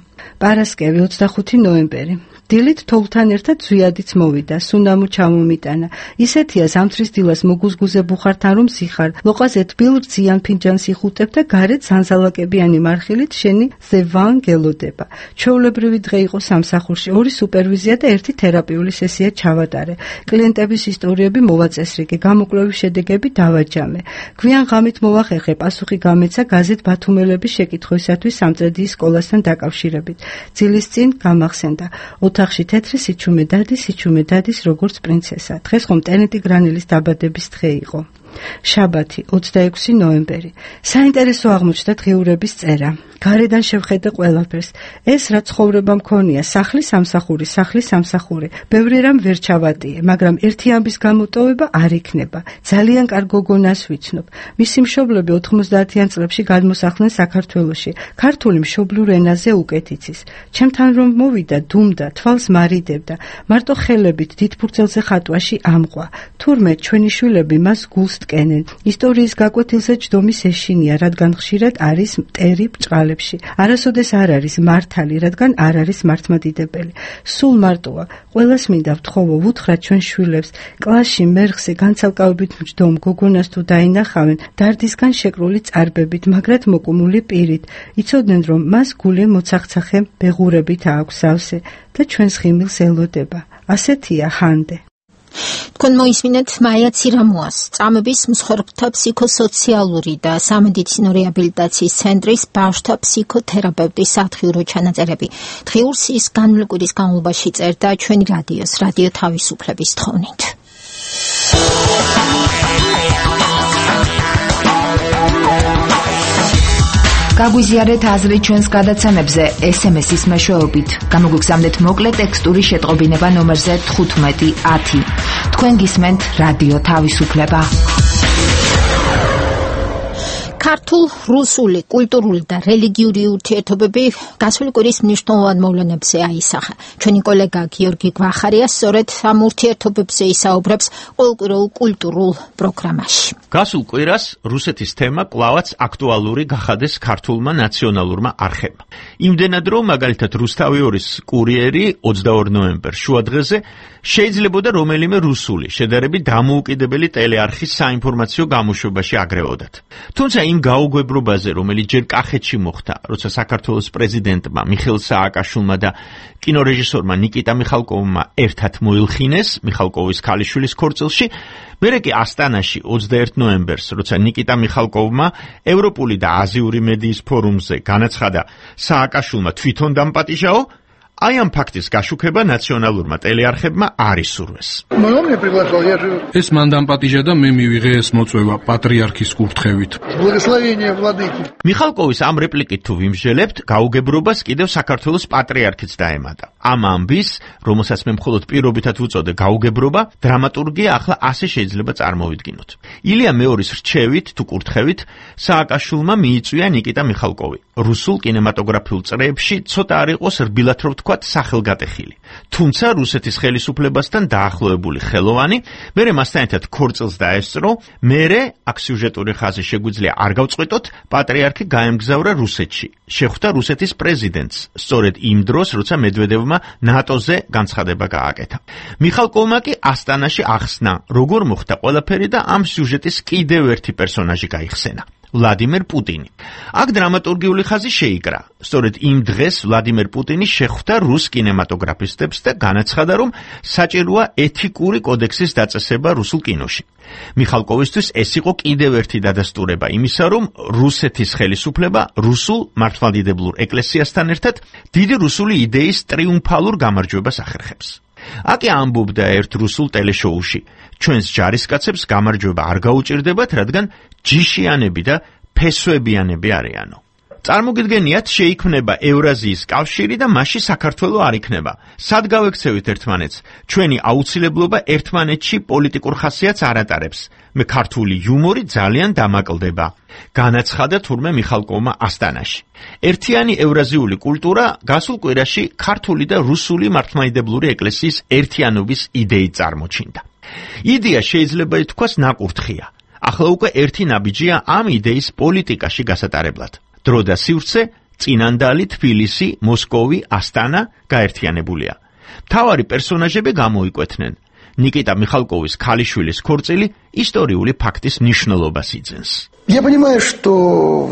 პარასკევი ოცდახუთი ნოემბერი. დილით თოვლთან ერთად ზვიადიც მოვიდა, სუნამო ჩამომიტანა. ისეთია ზამთრის დილას მოგუზგუზე ბუხართან რომ სიხარ, ლოყაზე თბილ რძიან ფინჯანს იხუტებ და გარეთ სანზალაკებიანი მარხილით შენი ზევან გელოდება. ჩვეულებრივი დღე იყო სამსახურში, ორი სუპერვიზია და ერთი თერაპიული სესია ჩავატარე. კლიენტების ისტორიები მოვაწესრიგე, გამოკვლევის შედეგები დავაჯამე. გვიან ღამით მოვახერხე, პასუხი გამეცა გაზეთ ბათუმელების შეკითხვისათვის სამწედიის სკოლასთან დაკავშირებით. ძილის წინ გამახსენდა. ოთახში თეთრი სიჩუმე დადის, სიჩუმე დადის როგორც პრინცესა. დღეს ხომ ტენეტი გრანელის დაბადების დღე იყო. შაბათი ოცდაექვსი ნოემბერი. საინტერესო აღმოჩნდა დღიურების წერა. გარედან შევხედე ყველაფერს. ეს რა ცხოვრება მქონია, სახლის სამსახური, სახლის სამსახური. ბევრი რამ ვერ ჩავატიე, მაგრამ ერთი ამბის გამოტოვება არ იქნება. ძალიან კარგ გოგონას ვიცნობ. მისი მშობლები ოთხმოცდაათიან წლებში გადმოსახლდნენ საქართველოში. ქართული მშობლიურ ენაზე უკეთ იცის. ჩემთან რომ მოვიდა, დუმდა, თვალს მარიდებდა. მარტო ხელებით დიდ ფურცელზე ხატვაში ამყვა. თურმე ჩვენი შვილები მას გულს ტკენენ. ისტორიის გაკვეთილზე ჯდომის ეშინია, რადგან ხშირად არის მტერი ბჭყალებში. არასოდეს არ არის მართალი, რადგან არ არის მართლმადიდებელი. სულ მარტოა. ყველას მინდა ვთხოვო, ვუთხრათ ჩვენ შვილებს, კლასში მერხზე განცალკავებით მჯდომ გოგონას თუ დაინახავენ, დარდისგან შეკრული წარბებით, მაგრად მოკუმული პირით. იცოდნენ, რომ მას გული მოცახცახე ბეღურებით აქვს სავსე და ჩვენს ხიმილს ელოდება. ასეთია ჰანდე. თქვენ მოისმინეთ მაია ცირამუას, წამების მსხვერპლთა ფსიქოსოციალური და სამედიცინო რეაბილიტაციის ცენტრის ბავშვთა ფსიქოთერაპევტის სათხიურო ჩანაწერები. დღიურს ის განმლკვირის განმავლობაში წერდა ჩვენი რადიოს, რადიო თავისუფლების თხოვნით. გაგვიზიარეთ აზრი ჩვენს გადაცემებზე ეს ემ ეს-ის მეშვეობით. გამოგვიგზავნეთ მოკლე ტექსტური შეტყობინება ნომერზე თხუთმეტი ათი. თქვენ გისმენთ რადიო თავისუფლება. ქართულ, რუსული, კულტურული და რელიგიური ურთიერთობები გასული კვირის მნიშვნელოვან მოვლენებზე აისახა. ჩვენი კოლეგა გიორგი გვახარია სწორედ ამ ურთიერთობებზე ისაუბრებს ყოველკვირეულ კულტურულ პროგრამაში. გასულ კვირას რუსეთის თემა კვლავაც აქტუალური გახადეს ქართულმა ნაციონალურმა არხებმა. იმდენად რომ მაგალითად რუსთავიორის კურიერი ოცდაორ ნოემბერს შუადღეზე შეიძლებოდა რომელიმე რუსული შედარებით დამოუკიდებელი ტელეარხის საინფორმაციო გამოშვებაში აგრევოდათ. თუმცა იმ გაუგებრობაზე, რომელიც ჯერ კახეთში მოხდა, როცა საქართველოს პრეზიდენტმა მიხეილ სააკაშვილმა და კინორეჟისორმა ნიკიტა მიხალკოვმა ერთად მოილხინეს მიხალკოვის ქალიშვილის ქორწილში, მერე კი ასტანაში ოცდაერთი ნოემბერს, როცა ნიკიტა მიხალკოვმა ევროპული და აზიური მედიის ფორუმზე განაცხადა სააკაშვილმა თვითონ დამპატიჟაო, აი ამ ფაქტის გაშუქება ნაციონალურმა ტელეარხებმა არ ისურვეს. ეს მან დამპატიჟა და მე მივიღე ეს მოწვევა პატრიარქის კურთხევით. მიხალკოვის ამ რეპლიკით თუ ვიმსჯელებთ, გაუგებრობას კიდევ საქართველოს პატრიარქიც დაემატა. ამ ამბის, რომელსაც მე მხოლოდ პირობითად ვუწოდე გაუგებრობა, დრამატურგია ახლა ასე შეიძლება წარმოვიდგინოთ. ილია მეორის რჩევით თუ კურთხევით სააკაშვილმა მიიწვია ნიკიტა მიხალკოვი. რუსულ კინემატოგრაფიულ წრეებში ცოტა არ იყოს რბილად რო ვთქვათ სახელგატეხილი. თუმცა რუსეთის ხელისუფლებასთან დაახლოებული ხელოვანი, მერე მასთან ერთად ქორწილს დაესწრო, მერე აქ სიუჟეტური ხაზი შეგვიძლია არ გავწყვეტოთ, პატრიარქი გაემგზავრა რუსეთში. შეხვდა რუსეთის პრეზიდენტს, სწორედ იმ დროს, როცა მედვედევმა ნატოზე განცხადება გააკეთა. მიხალკოვმა კი ასტანაში ახსნა, როგორ მოხდა ყველაფერი და ამ სიუჟეტის კიდევ ერთი პერსონაჟი გაიხსენა. ვლადიმერ პუტინი. აქ დრამატურგიული ხაზი შეიკრა. სწორედ იმ დღეს ვლადიმერ პუტინი შეხვდა რუს კინემატოგრაფისტებს და განაცხადა, რომ საჭიროა ეთიკური კოდექსის დაწესება რუსულ კინოში. მიხალკოვისთვის ეს იყო კიდევ ერთი დადასტურება იმისა, რომ რუსეთის ხელისუფლება რუსულ მართლმადიდებლურ ეკლესიასთან ერთად დიდი რუსული იდეის ტრიუმფალურ გამარჯვებას ახერხებს. აკი ამბობდა ერთ რუსულ ტელეშოუში, ჩვენს ჯარისკაცებს გამარჯვება არ გაუჭირდებათ, რადგან ჯიშიანები და ფესვებიანები არიანო. წარმოგიდგენიათ, შეიქმნება ევრაზიის კავშირი და მასში საქართველო არ იქნება. სად გავექცევით ერთმანეთს? ჩვენი აუცილებლობა ერთმანეთში პოლიტიკურ ხასიათს არ ატარებს. მე ქართული იუმორი ძალიან დამაკლდება. განაცხადა თურმე მიხალკოვმა ასტანაში. ერთიანი ევრაზიული კულტურა გასულ კვირაში ქართული და რუსული მართლმადიდებლური ეკლესიის ერთიანობის იდეით წარმოჩინდა. იდეა შეიძლება ითქვას ნაკურთხია. ახლა უკვე ერთი ნაბიჯია ამ იდეის პოლიტიკაში გასატარებლად. დრო და სივრცე, წინანდალი, თბილისი, მოსკოვი, ასტანა გაერთიანებულია. მთავარი პერსონაჟები გამოიკვეთნენ. ნიკიტა მიხალკოვის ქალიშვილის ქორწილი ისტორიული ფაქტის მნიშვნელობას იძენს. Я понимаю, что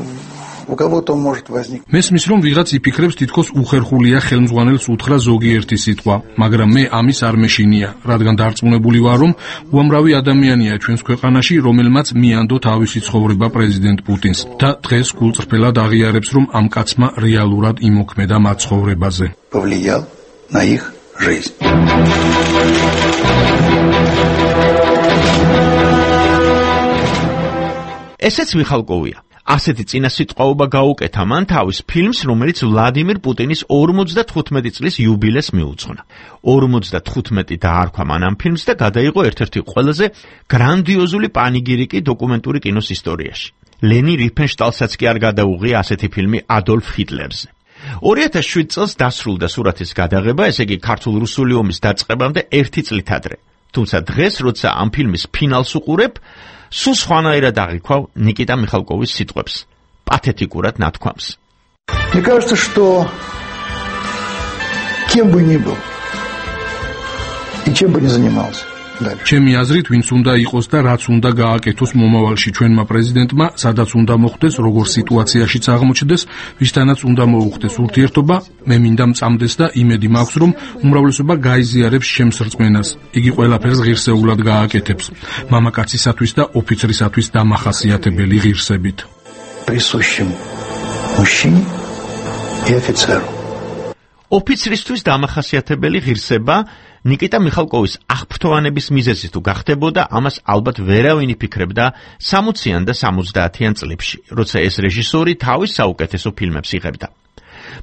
у кого-то может возникнуть. მესმის რომ ვიღაც იფიქრებს თითქოს უხერხულია ხელმძღვანელს უთხრა ზოგიერთი სიტყვა, მაგრამ მე ამის არ მეშინია, რადგან დარწმუნებული ვარ, რომ უამრავი ადამიანია ჩვენს ქვეყანაში, რომელმაც მიანდო თავისი ცხოვრება პრეზიდენტ პუტინს და დღეს გულწრფელად აღიარებს, რომ ამ კაცმა რეალურად იმოქმედა მათ ცხოვრებაზე. Повлиял на их жизнь. ესეც მიხალკოვია. ასეთი წინასიტყვაობა გაუკეთა მან თავის ფილმს, რომელიც ვლადიმერ პუტინის ორმოცდათხუთმეტი წლის იუბილეს მიუძღვნა. ორმოცდათხუთმეტი დაარქვა მან ამ ფილმს და გადაიღო ერთ-ერთი ყველაზე გრანდიოზული პანიგირიკი დოკუმენტური კინოს ისტორიაში. ლენი რიფენშტალსაც კი არ გადაუღია ასეთი ფილმი ადოლფ ჰიტლერზე. ორი ათას შვიდ წელს დასრულდა სურათის გადაღება, ესე იგი ქართულ-რუსული ომის დაწყებამდე ერთი წლით ადრე. თუმცა დღეს, როცა ამ ფილმის ფინალს უყურებ, სულ სხვანაირად აღიქვავ ნიკიტა მიხალკოვის სიტყვებს, პათეტიკურად ნათქვამს. Мне кажется, что кем бы ни был и чем бы ни занимался. ჩემი აზრით, ვინც უნდა იყოს და რაც უნდა გააკეთოს მომავალში ჩვენმა პრეზიდენტმა, სადაც უნდა მოხდეს, როგორ სიტუაციაშიც აღმოჩნდეს, ვისთანაც უნდა მოუხდეს ურთიერთობა, მე მინდა მწამდეს და იმედი მაქვს, რომ უმრავლესობა გაიზიარებს ჩემს რწმენას. იგი ყველაფერს ღირსეულად გააკეთებს, მამაკაცისათვის და ოფიცრისათვის დამახასიათებელი ღირსებით. Присущим мужчине и офицеру. ოფიცრისთვის დამახასიათებელი ღირსება ნიკიტა მიხალკოვის აღფრთოვანების მიზეზი თუ გახდებოდა, ამას ალბათ ვერავინ იფიქრებდა სამოციან და სამოცდაათიან წლებში, როცა ეს რეჟისორი თავის საუკეთესო ფილმებს იღებდა.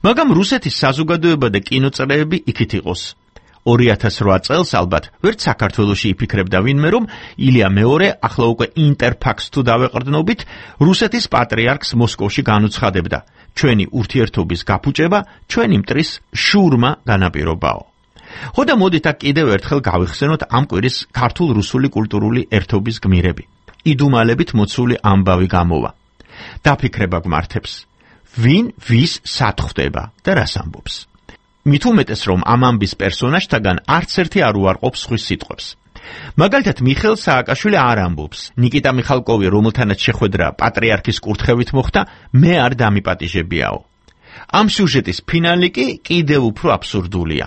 მაგრამ რუსეთის საზოგადოება და კინოწრეები იქით იყოს. ორი ათას რვა წელს ალბათ ვერც საქართველოში იფიქრებდა ვინმე, რომ ილია მეორე, ახლა უკვე ინტერფაქს თუ დავეყრდნობით, რუსეთის პატრიარქს მოსკოვში განუცხადებდა. ჩვენი ურთიერთობის გაფუჭება ჩვენი მტრის შურმა განაპირობაო. ხოდა მოდით აქ კიდევ ერთხელ გავიხსენოთ ამ კვირის ქართულ-რუსული კულტურული ერთობის გმირები. იდუმალებით მოცული ამბავი გამოვა. დაფიქრება გმართებს. ვინ ვის სად ხვდება და რას ამბობს. მით უმეტეს რომ ამ ამბის პერსონაჟთაგან არც ერთი არ უარყოფს სხვის სიტყვებს. მაგალითად მიხეილ სააკაშვილი არ ამბობს. ნიკიტა მიხალკოვი, რომელთანაც შეხვედრა პატრიარქის კურთხევით მოხდა, მე არ დამიპატიჟებიაო. ამ სიუჟეტის ფინალი კი კიდევ უფრო აბსურდულია.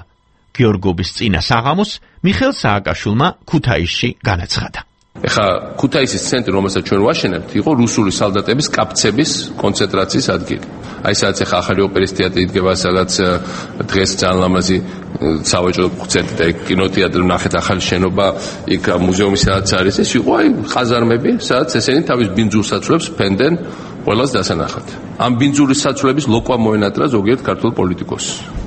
გიორგობის წინა საღამოს მიხეილ სააკაშვილმა ქუთაისში განაცხადა. ეხა ქუთაისის ცენტრი, რომელსაც ჩვენ ვაშენებთ, იყო რუსული სალდატების კაფცების კონცენტრაციის ადგილი. აი სადაც ეხა ახალი ოპერის თეატრი იდგება, სადაც დღეს ძალიან ლამაზი სავაჭრო ცენტრი და კინოთეატრი ნახეთ, ახალი შენობა, იქ მუზეუმი სადაც არის, ეს იყო აი ყაზარმები, სადაც ესენი თავის ბინძურ საცვლებს ფენდნენ ყველას დასანახად. ამ ბინძური საცვლების ლოკვა მოენატრა ზოგიერთ ქართულ პოლიტიკოსს.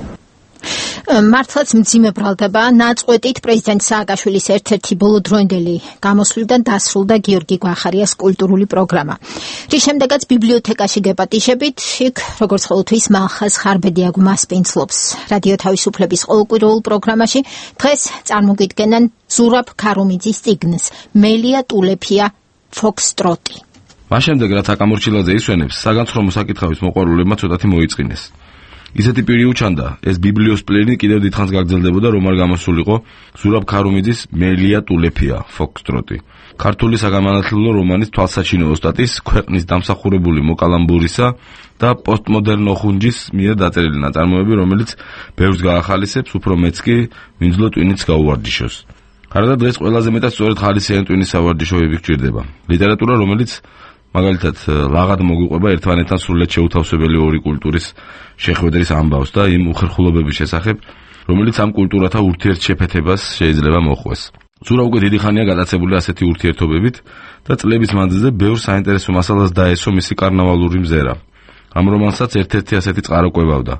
მართლაც მძიმე ბრალდება ნაწყვეტით პრეზიდენტ სააკაშვილის ერთ-ერთი ბოლოდროინდელი გამოსვლიდან დასრულდა გიორგი გვახარიას კულტურული პროგრამა. რის შემდეგაც ბიბლიოთეკაში გეპატიჟებით, იქ როგორც ყოველთვის მალხაზ ხარბედიაგ მასპინძლობს. რადიო თავისუფლების ყოველკვირეულ პროგრამაში დღეს წარმოგიდგენენ ზურაბ ქარუმიძის წიგნს მელია ტულეფია ფოქსტროტი. მას შემდეგ რაც აკამურჩილაძე ისვენებს, საგანცხრომო საკითხების მოყვარულებმა ცოტათი მოიწინეს. ისეთი პირი უჩანდა, ეს ბიბლიოს პლენი კიდევ დიდხანს გაგრძელდებოდა, რომ არ გამოსულიყო ზურაბ ქარუმიძის მელია ტულეფია, ფოქსტროტი. ქართული საგანმანათლებლო რომანის თვალსაჩინო ოსტატის, ქვეყნის დამსახურებული მოკალამბურისა და პოსტმოდერნო ხუნჯის მიერ დაწერილი ნაწარმოები, რომელიც ბევრს გაახალისებს, უფრო მეც კი ვინძლო ტვინიც გაუვარჯიშოს. გარდა დღეს ყველაზე მეტად სწორედ ხალისიანი ტვინის სავარჯიშოები გჭირდება. ლიტერატურა, რომელიც მაგალითად ლაღად მოგვიყვება ერთმანეთთან სრულად შეუთავსებელი ორი კულტურის შეხვედრის ამბავს და იმ უხერხულობების შესახებ, რომელიც ამ კულტურათა ურთიერთშეფეთებას შეიძლება მოხვეს. ზურა უკვე დიდი ხანია გადაცებული ასეთი ურთიერთობებით და წლების მანძილზე ბევრ საინტერესო მასალას დაესო მისი კარნავალური მზერა. ამ რომანსაც ერთ-ერთი ასეთი წყარო კვებავდა.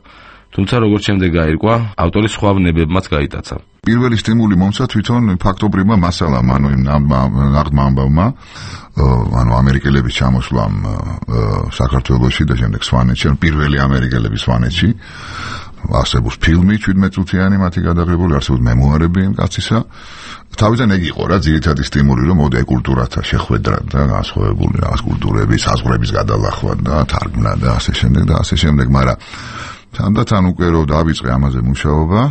თუმცა როგორც შემდეგ გაირკვა, ავტორის სხვა ვნებებმაც გაიტაცა. პირველი სტიმული მომცა თვითონ ფაქტობრივმა მასალამ, ანუ იმ ნაღდმა ამბავმა, ანუ ამერიკელების ჩამოსვლამ საქართველოში და შემდეგ სვანეთში, ანუ პირველი ამერიკელების სვანეთში. არსებობს ფილმი შვიდმეტწუთიანი მათი გადაღებული, არსებობს მემუარები იმ კაცისა. თავიდან ეგ იყო რა ძირითადი სტიმული, რომ მოდი კულტურათა შეხვედრა და განსხვავებული რაღაც კულტურების, საზღვრების გადალახვა და თარგმნა და ასე შემდეგ და ასე შემდეგ, მაგრამ თანდათან უკვე რომ დავიწყე ამაზე მუშაობა,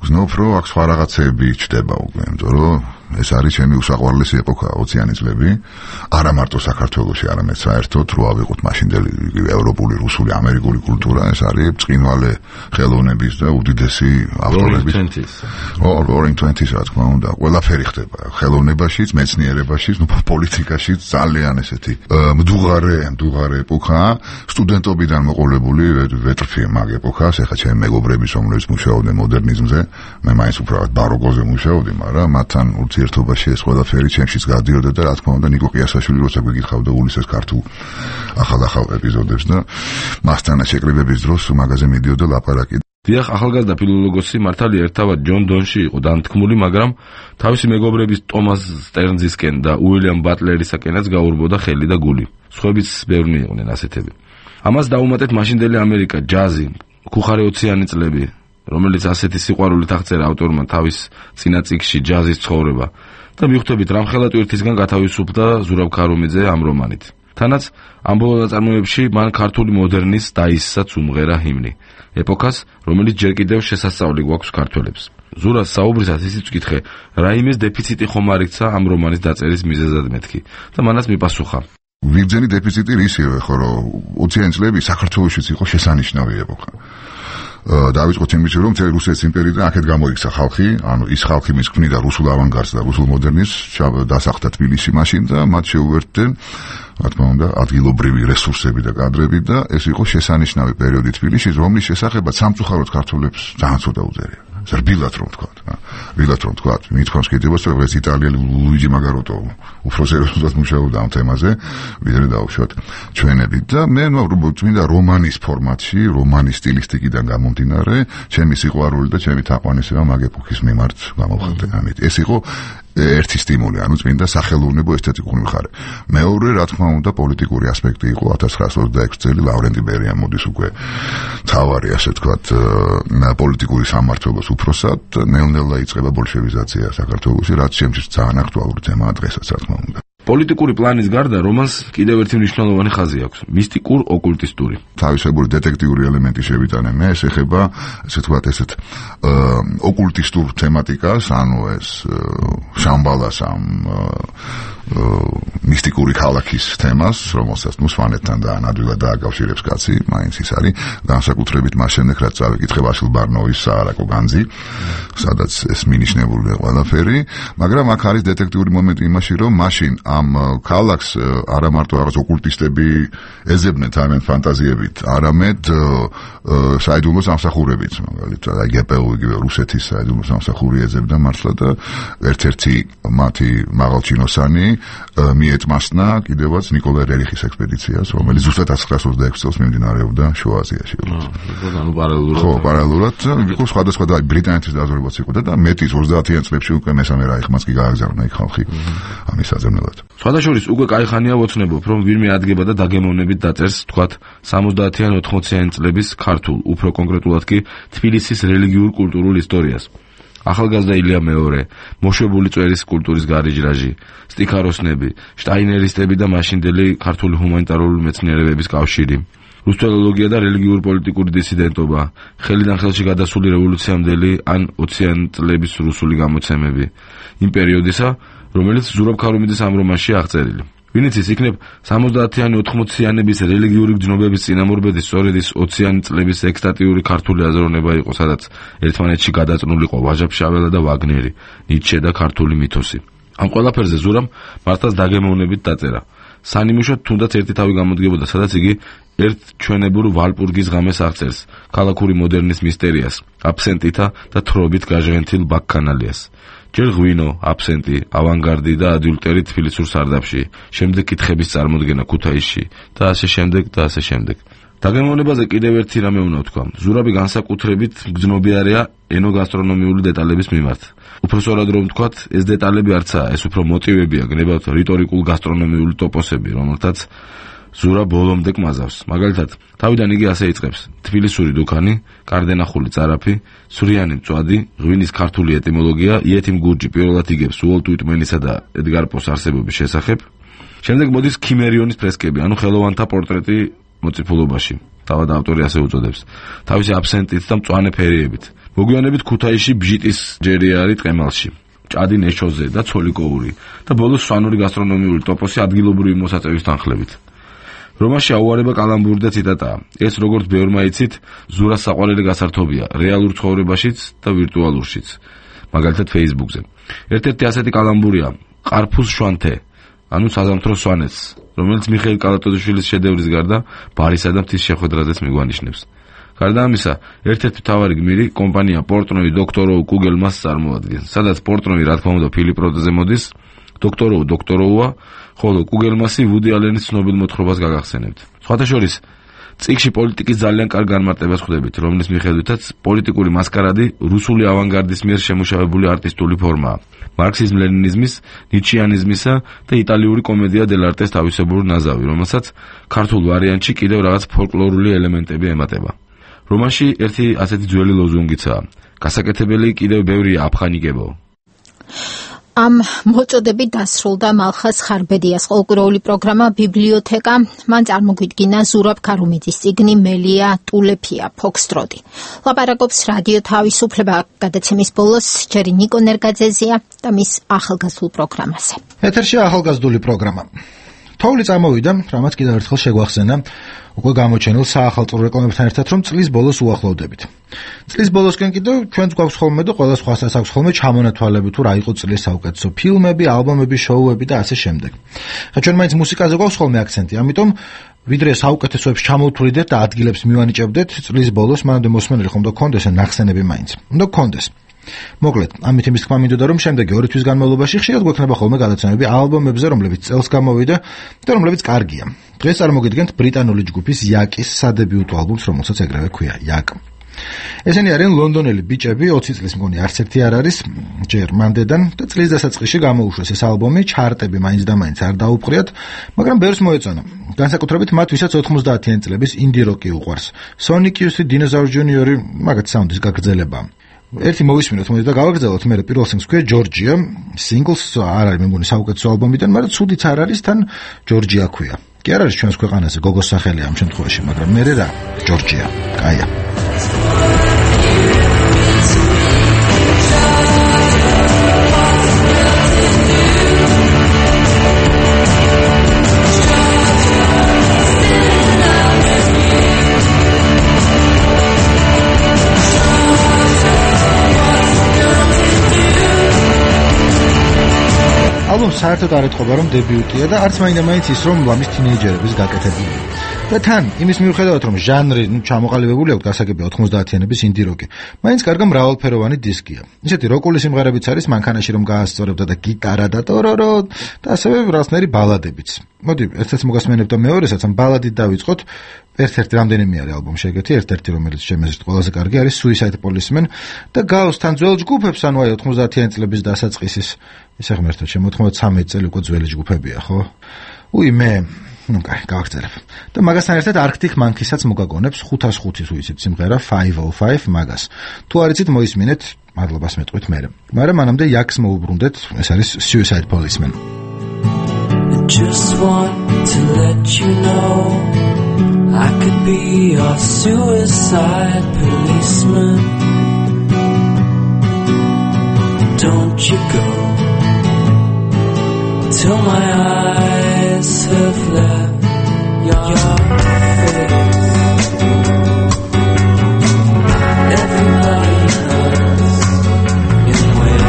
გზნობ რომ აქ სხვა რაღაცები ჩდება უკვე, იმიტომ რომ ეს არის ჩემი უსაყვარლესი ეპოქა ოციანი წლები, არა მარტო საქართველოში, არამედ საერთოდ რო ავიღოთ მაშინდელი ევროპული, რუსული, ამერიკული კულტურა, ეს არის ბრწყინვალე ხელოვნების და უდიდესი ავტორების. Roaring Twenties, რა თქმა უნდა, ყველაფერი ხდება ხელოვნებაშიც, მეცნიერებაშიც, ნუ პოლიტიკაშიც, ძალიან ესეთი მდუღარე, მდუღარე ეპოქა, სტუდენტობიდან მოყოლებული ვეტრფი მაგ ეპოქას, ეხლა ჩემი მეგობრების რომლებიც მუშაობდნენ მოდერნიზმზე, მე მაინც უბრალოდ ბაროკოზე მუშაობდი, მაგრამ მათთან ურთიერთობაში ეს ყველაფერი ჩემშიც გადიოდა და რა თქმა უნდა ნიკო ყიასაშვილი როცა გვიგიხავდა უլისეს ქართულ ახალ-ახალ ეპიზოდებს და მასთან შეკრებების დროს მაგაზე მიდიოდა ლაპარაკი. დიახ, ახალგაზრდა ფილოლოგოსი მართალია ერთავად ჯონ დონში იყო დამთქმული, მაგრამ თავისი მეგობრების ტომას სტერნზისკენ და უილიამ ბატლერისაკენაც გაურბოდა ხელი და გული. სხვაებიც ბევრნი იყვნენ ასეთები. ამას დაუმატეთ მაშინდელი ამერიკა, ჯაზი, ქუხარე ოციანი წლები, რომელიც ასეთი სიყვარულით აღწერა ავტორმა თავის წინა წიგნში ჯაზის ცხოვრება და მიხვდებით რამხელა ტვირთისგან გათავისუფლდა ზურაბ ქარუმიძე ამ რომანით. თანაც ამ ბოლო ნაწარმოებში მან ქართული მოდერნის დაისსაც უმღერა ჰიმნი, ეპოქას, რომელიც ჯერ კიდევ შესასწავლი გვაქვს ქართველებს. ზურას საუბრისას ისიც ვკითხე, რაიმეს დეფიციტი ხომ არ იქცა ამ რომანის დაწერის მიზეზად მეთქი და მანაც მიპასუხა. ვიგრძენი დეფიციტი რისივე, ხო რომ ოციანი წლები საქართველოშიც იყო შესანიშნავი ეპოქა. დავიწყოთ იმით, რომ მთელი რუსეთის იმპერიიდან აქეთ გამოიქცა ხალხი, ანუ ის ხალხი, ვინც ქმნიდა რუსულ ავანგარდს და რუსულ მოდერნიზმს, დასახლდა თბილისში მაშინ და მათ შეუერთდნენ, რა თქმა უნდა, ადგილობრივი რესურსები და კადრები და ეს იყო შესანიშნავი პერიოდი თბილისში, რომლის შესახებაც სამწუხაროდ ქართველებს ძალიან ცოტა უძერია. ზრბილად რომ თქვა, რბილად რომ თქვა, მithქვამს კიდევაც რომ ეს იტალიელი ლუიჯი მაგაროტო უფრო სერიოზულად მუშაობდა ამ თემაზე, ვიდრე დაუშვათ ჩვენები და მე ნუ წმინდა რომანის ფორმატში, რომანის სტილისტიკიდან გამომდინარე, ჩემი სიყვარული და ჩემი თაყვანისება მაგ ეპოქის მიმართ გამოვხატე. ამით ეს იყო ერთი სტიმული, ანუ წმინდა სახელოვნებო ესთეტიკური მხარე. მეორე, რა თქმა უნდა, პოლიტიკური ასპექტი იყო ათას ცხრაასი ოცდაექვსი წელი ლავრენტი ბერია მოდის უკვე თავარი, ასე ვთქვათ, პოლიტიკური სამმართველოს უფროსად, ნელ-ნელა იწყება ბოლშევიზაცია საქართველოში, რაც შემჩის ძალიან აქტუალური თემაა დღესაც, რა თქმა უნდა. პოლიტიკური პლანის გარდა რომანს კიდევ ერთი მნიშვნელოვანი ხაზი აქვს, მისტიკურ-ოკულტისტური. თავისებური დეტექტიური ელემენტი შევიტანე მე, ეს ეხება, ასე ვთქვათ, ესეთ ოკულტისტურ თემატიკას, ანუ ეს შამბალას ამ მისტიკური ქალაქის თემას, რომელსაც ნუ სვანეთთან და ნადვილად დააკავშირებს კაცი, მაინც ის არის განსაკუთრებით მას შემდეგ, რაც წავიკითხე ვასილ ბარნოვის საარაკო განძი, სადაც ეს მინიშნებულია ყველაფერი, მაგრამ აქ არის დეტექტიური მომენტი იმაში, რომ მაშინ ამ ქალაქს არა მარტო რაღაც ოკულტისტები ეძებდნენ თავიანთ ფანტაზიებით, არამედ საიდუმლო სამსახურებიც, მაგალითად, გპუ იგივე რუსეთის საიდუმლო სამსახური ეძებდა მართლა და ერთ-ერთი მათი მაღალჩინოსანი მიეტმასნა კიდევაც ნიკოლაი რერიხის ექსპედიციას, რომელიც ზუსტად ათას ცხრაასი ოცდაექვსი წელს მიმდინარეობდა შუა აზიაში. ანუ პარალელურად. ხო, პარალელურად იყო სხვადასხვა და ბრიტანეთის დაზვერვაც იყო და მეტის ოცდაათიან წლებში უკვე მესამე რაიხმაც კი გააგზავნა იქ ხალხი ამის საძებნელად. სხვადასხვა უკვე კაი ხანია ვოცნებობ, რომ ვინმე ადგება და დაგემოვნებით დაწერს, თქვათ, სამოცდაათიან ოთხმოციან წლების ქართულ, უფრო კონკრეტულად კი თბილისის რელიგიურ-კულტურულ ისტორიას. ახალგაზრდა ილია მეორე, მოშვებული წვერის კულტურის გარიჯრაჟი, სტიქაროსნები, შტაინერისტები და მაშინდელი ქართული ჰუმანიტარული მეცნიერებების კავშირი, რუსთველოლოგია და რელიგიურ პოლიტიკური დისიდენტობა, ხელიდან ხელში გადასული რევოლუციამდელი ან ოციან წლების რუსული გამოცემები, იმ პერიოდისა, რომელიც ზურაბ ქარუმიძის ამ რომანში აღწერილი. ვინც ის იქნებ სამოცდაათიანი ოთხმოციანების რელიგიური გრძნობების წინამორბედი სწორედ ის ოციანი წლების ექსტატიური ქართული აზროვნება იყო, სადაც ერთმანეთში გადაწნულიყო ვაჟა-ფშაველა და ვაგნერი, ნიცშე და ქართული მითოსი. ამ ყველაფერზე ზურამ მართლაც დაგემოვნებით დაწერა. სანიმუშოდ თუნდაც ერთი თავი გამოდგებოდა, სადაც იგი ერთ ჩვენებურ ვალპურგის ღამეს აღწერს, ქალაქური მოდერნის მისტერიას, აბსენტითა და თრობით გაჟღენთილ ბაქქანალიას. ჯერ ღვინო, აბსენტი, ავანგარდი და ადიულტერი თბილისურ სარდაფში, შემდეგ კითხების წარმოდგენა ქუთაისში და ასე შემდეგ და ასე შემდეგ. დაგემოვნებაზე კიდევ ერთი რამე უნდა ვთქვა. ზურაბი განსაკუთრებით მგრძნობიარეა ენოგასტრონომიული დეტალების მიმართ. უფრო სწორად რომ ვთქვათ, ეს დეტალები არცაა, ეს უფრო მოტივებია, გნებავთ რიტორიკულ გასტრონომიული ტოპოსები, რომელთაც ზურა ბოლომდე კმაზავს. მაგალითად, თავიდან იგი ასე იწყებს: თბილისური დუქანი, კარდენახული წარაფი, სვრიანი მწვადი, ღვინის ქართული ეტიმოლოგია, იეთიმ გურჯი პირველად იგებს უოლტ უიტმენისა და ედგარ პოს არსებობის შესახებ. შემდეგ მოდის ქიმერიონის ფრესკები, ანუ ხელოვანთა პორტრეტი მოციფულობაში. თავად ავტორი ასე უწოდებს. თავისი აბსენტით და მწვანე ფერიებით. მოგვიანებით ქუთაისში ბჟიტის ჯერიარი ტყემალში. ჭადი ნეშოზე და ცოლიკოური და ბოლოს სვანური გასტრონომიული ტოპოსი ადგილობრივი მოსაწევის თანხლებით. რომანში აუარება კალამბური და ციტატაა. ეს როგორც ბევრმა იცით, ზურას საყვარელი გასართობია რეალურ ცხოვრებაშიც და ვირტუალურშიც. მაგალითად Facebook-ზე. ერთ-ერთი ასეთი კალამბურია ყარფუს შვანთე, ანუ საზამთრო სვანეთს, რომელიც მიხეილ კალატოზიშვილის შედევრის გარდა ბარისა და მთის შეხვედრაზეც მიგვანიშნებს. გარდა ამისა, ერთ-ერთი მთავარი გმირი კომპანია პორტნოი დოქტოროუ კუგელმას წარმოადგენს, სადაც პორტნოი რა თქმა უნდა ფილიპ როდზე მოდის, დოქტოროუ დოქტოროუა, ხოლო კუგელმასი ვუდი ალენის ცნობილ მოთხრობას გაგახსენებთ. სხვათა შორის, წიგნში პოლიტიკის ძალიან კარგ განმარტებას ხვდებით, რომლის მიხედვითაც პოლიტიკური მასკარადი რუსული ავანგარდის მიერ შემუშავებული არტისტული ფორმაა. მარქსიზმ-ლენინიზმის, ნიჩიანიზმისა და იტალიური კომედია დელარტეს თავისებური ნაზავი, რომელსაც ქართულ ვარიანტში კიდევ რაღაც ფოლკლორული ელემენტები ემატება. რომანში ერთი ასეთი ძველი ლოზუნგიცაა: გასაკეთებელი კიდევ ბევრია აფხანიკებო. ამ მოწოდებით დასრულდა მალხაზ ხარბედიას ყოლკურეული პროგრამა ბიბლიოთეკა. მან წარმოგვიდგინა ზურაბ ქარუმიძის წიგნი მელია ტულეფია ფოქსტროტი. ლაპარაკობს რადიო თავისუფლება გადაცემის ბოლოს ჯერი ნიკო ნერგაძეზია და მის ახალგაზრდულ პროგრამაზე. ეთერში ახალგაზრდული პროგრამა. თოვლი წამოვიდა, რამაც კიდევ ერთხელ შეგვახსენა უკვე გამოჩენილ საახალწლო რეკლამებთან ერთად, რომ წლის ბოლოს უახლოვდებით. წლის ბოლოსკენ კიდევ ჩვენც გვაქვს ხოლმე და ყველა სხვასაც აქვს ხოლმე ჩამონათვალები თუ რა იყო წლის საუკეთესო ფილმები, ალბომები, შოუები და ასე შემდეგ. ხა ჩვენ მაინც მუსიკაზე გვაქვს ხოლმე აქცენტი, ამიტომ ვიდრე საუკეთესოებს ჩამოვთვლიდეთ და ადგილებს მივანიჭებდეთ წლის ბოლოს, მანამდე მოსმენელი ხომ და გქონდეს ნახსენები მაინც. უნდა გქონდეს. მოკლედ, ამით იმის თქმა მინდოდა, რომ შემდეგი ორი თვის განმავლობაში ხშირად გვექნება ხოლმე გადაცემები ალბომებზე, რომლებიც წელს გამოვიდა და რომლებიც კარგია. დღეს წარმოგიდგენთ ბრიტანული ჯგუფის იაკის სადებიუტო ალბომს, რომელსაც ეგრევე ქვია იაკ. ესენი არიან ლონდონელი ბიჭები, ოცი წლის მგონი არც ერთი არ არის, ჯერ მანდედან და წლის დასაწყისში გამოუშვეს ეს ალბომი, ჩარტები მაინც და მაინც არ დაუპყრიათ, მაგრამ ბევრს მოეწონა. განსაკუთრებით მათ, ვისაც ოთხმოცდაათიანი წლების ინდი როკი უყვარს. Sonic Youth, Dinosaur Junior, მაგათ საუნდის გაგრძელება. ერთი მოვისმინოთ მოდი და გავაგრძელოთ, მე პირველ სინგლს ქვია ჯორჯია, სინგლს არ არის მე მგონი საუკეთესო ალბომიდან, მაგრამ ცუდიც არ არის, თან ჯორჯია ქვია. კი არ არის ჩვენს ქვეყანაზე გოგოს სახელი ამ შემთხვევაში, მაგრამ მე რა, ჯორჯია, კაია. ალბომს საერთოდ არ ეთყობა, რომ დებიუტია და არც მაინდა-მაინც ის, რომ ლამის თინეიჯერების გაკეთებულია. და თან, იმის მიუხედავად, რომ ჟანრი ჩამოყალიბებული აქვს, გასაგებია ოთხმოცდაათიანების ინდი როკი, მაინც კარგი მრავალფეროვანი დისკია. ისეთი როკული სიმღერებიც არის, მანქანაში რომ გაასწორებდა და გიტარა და ტორორო და ასევე რაღაცნაირი ბალადებიც. მოდი, ერთ-ერთს მოგასმენებ და მეორესაც ამ ბალადით დავიწყოთ. ერთ-ერთი რამდენიმე არის ალბომი შეგეთი, ერთ-ერთი რომელიც შემეზეთ ყველაზე კარგი არის Suicide Policeman და გავს თან ძველ ჯგუფებს, ანუ აი ოთხმოცდაათიანი წლების დასაწყისის ისე ღმერთო, ჩემ ოცდაათი წელი უკვე ძველი ჯგუფებია, ხო? უი მე, ну კაი, გავაგრძელებ. და მაგასთან ერთად Arctic Monkey-საც მოგაგონებს ხუთას ხუთი თუ იცით სიმღერა ხუთას ხუთი მაგას. თუ არ იცით მოისმინეთ, მადლობას მეტყვით მე. მაგრამ მანამდე იაკს მოუბრუნდეთ, ეს არის Suicide Policeman. Just want to let you know I could be your suicide policeman. Don't you go till my eyes have left your face. Everybody hurts in ways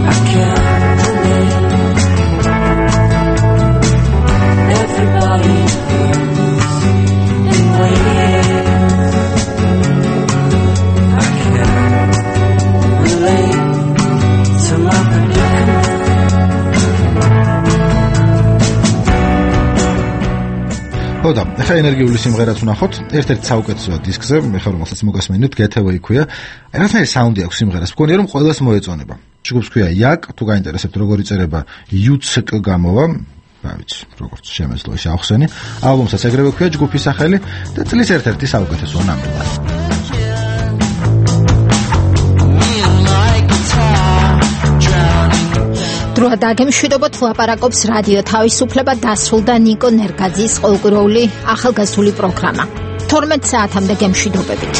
I can't relate. Everybody hurts in ways I can't relate to my predicament. ხოდა, ახლა ენერგიული სიმღერაც ვნახოთ, ერთ-ერთი საუკეთესო დისკზე, მე ხარ რომელსაც მოგასმენთ, გეთევი ქვია. რაღაცნაირი საუნდი აქვს სიმღერას. მგონია რომ ყველას მოეწონება. ჯგუფს ქვია Yak, თუ გაინტერესებთ როგორი წერება Yuck გამოვა, რა ვიცი, როგორც შემეძლო ეს ახსენი. ალბომსაც ეგრევე ქვია ჯგუფის სახელი და წლის ერთ-ერთი საუკეთესო ნამიბად. დროა დაგემშვიდობოთ, ლაპარაკობს რადიო თავისუფლება დასრულდა ნიკო ნერგაძის ყოველკვირეული ახალგაზრდული პროგრამა. თორმეტ საათამდე გემშვიდობებით.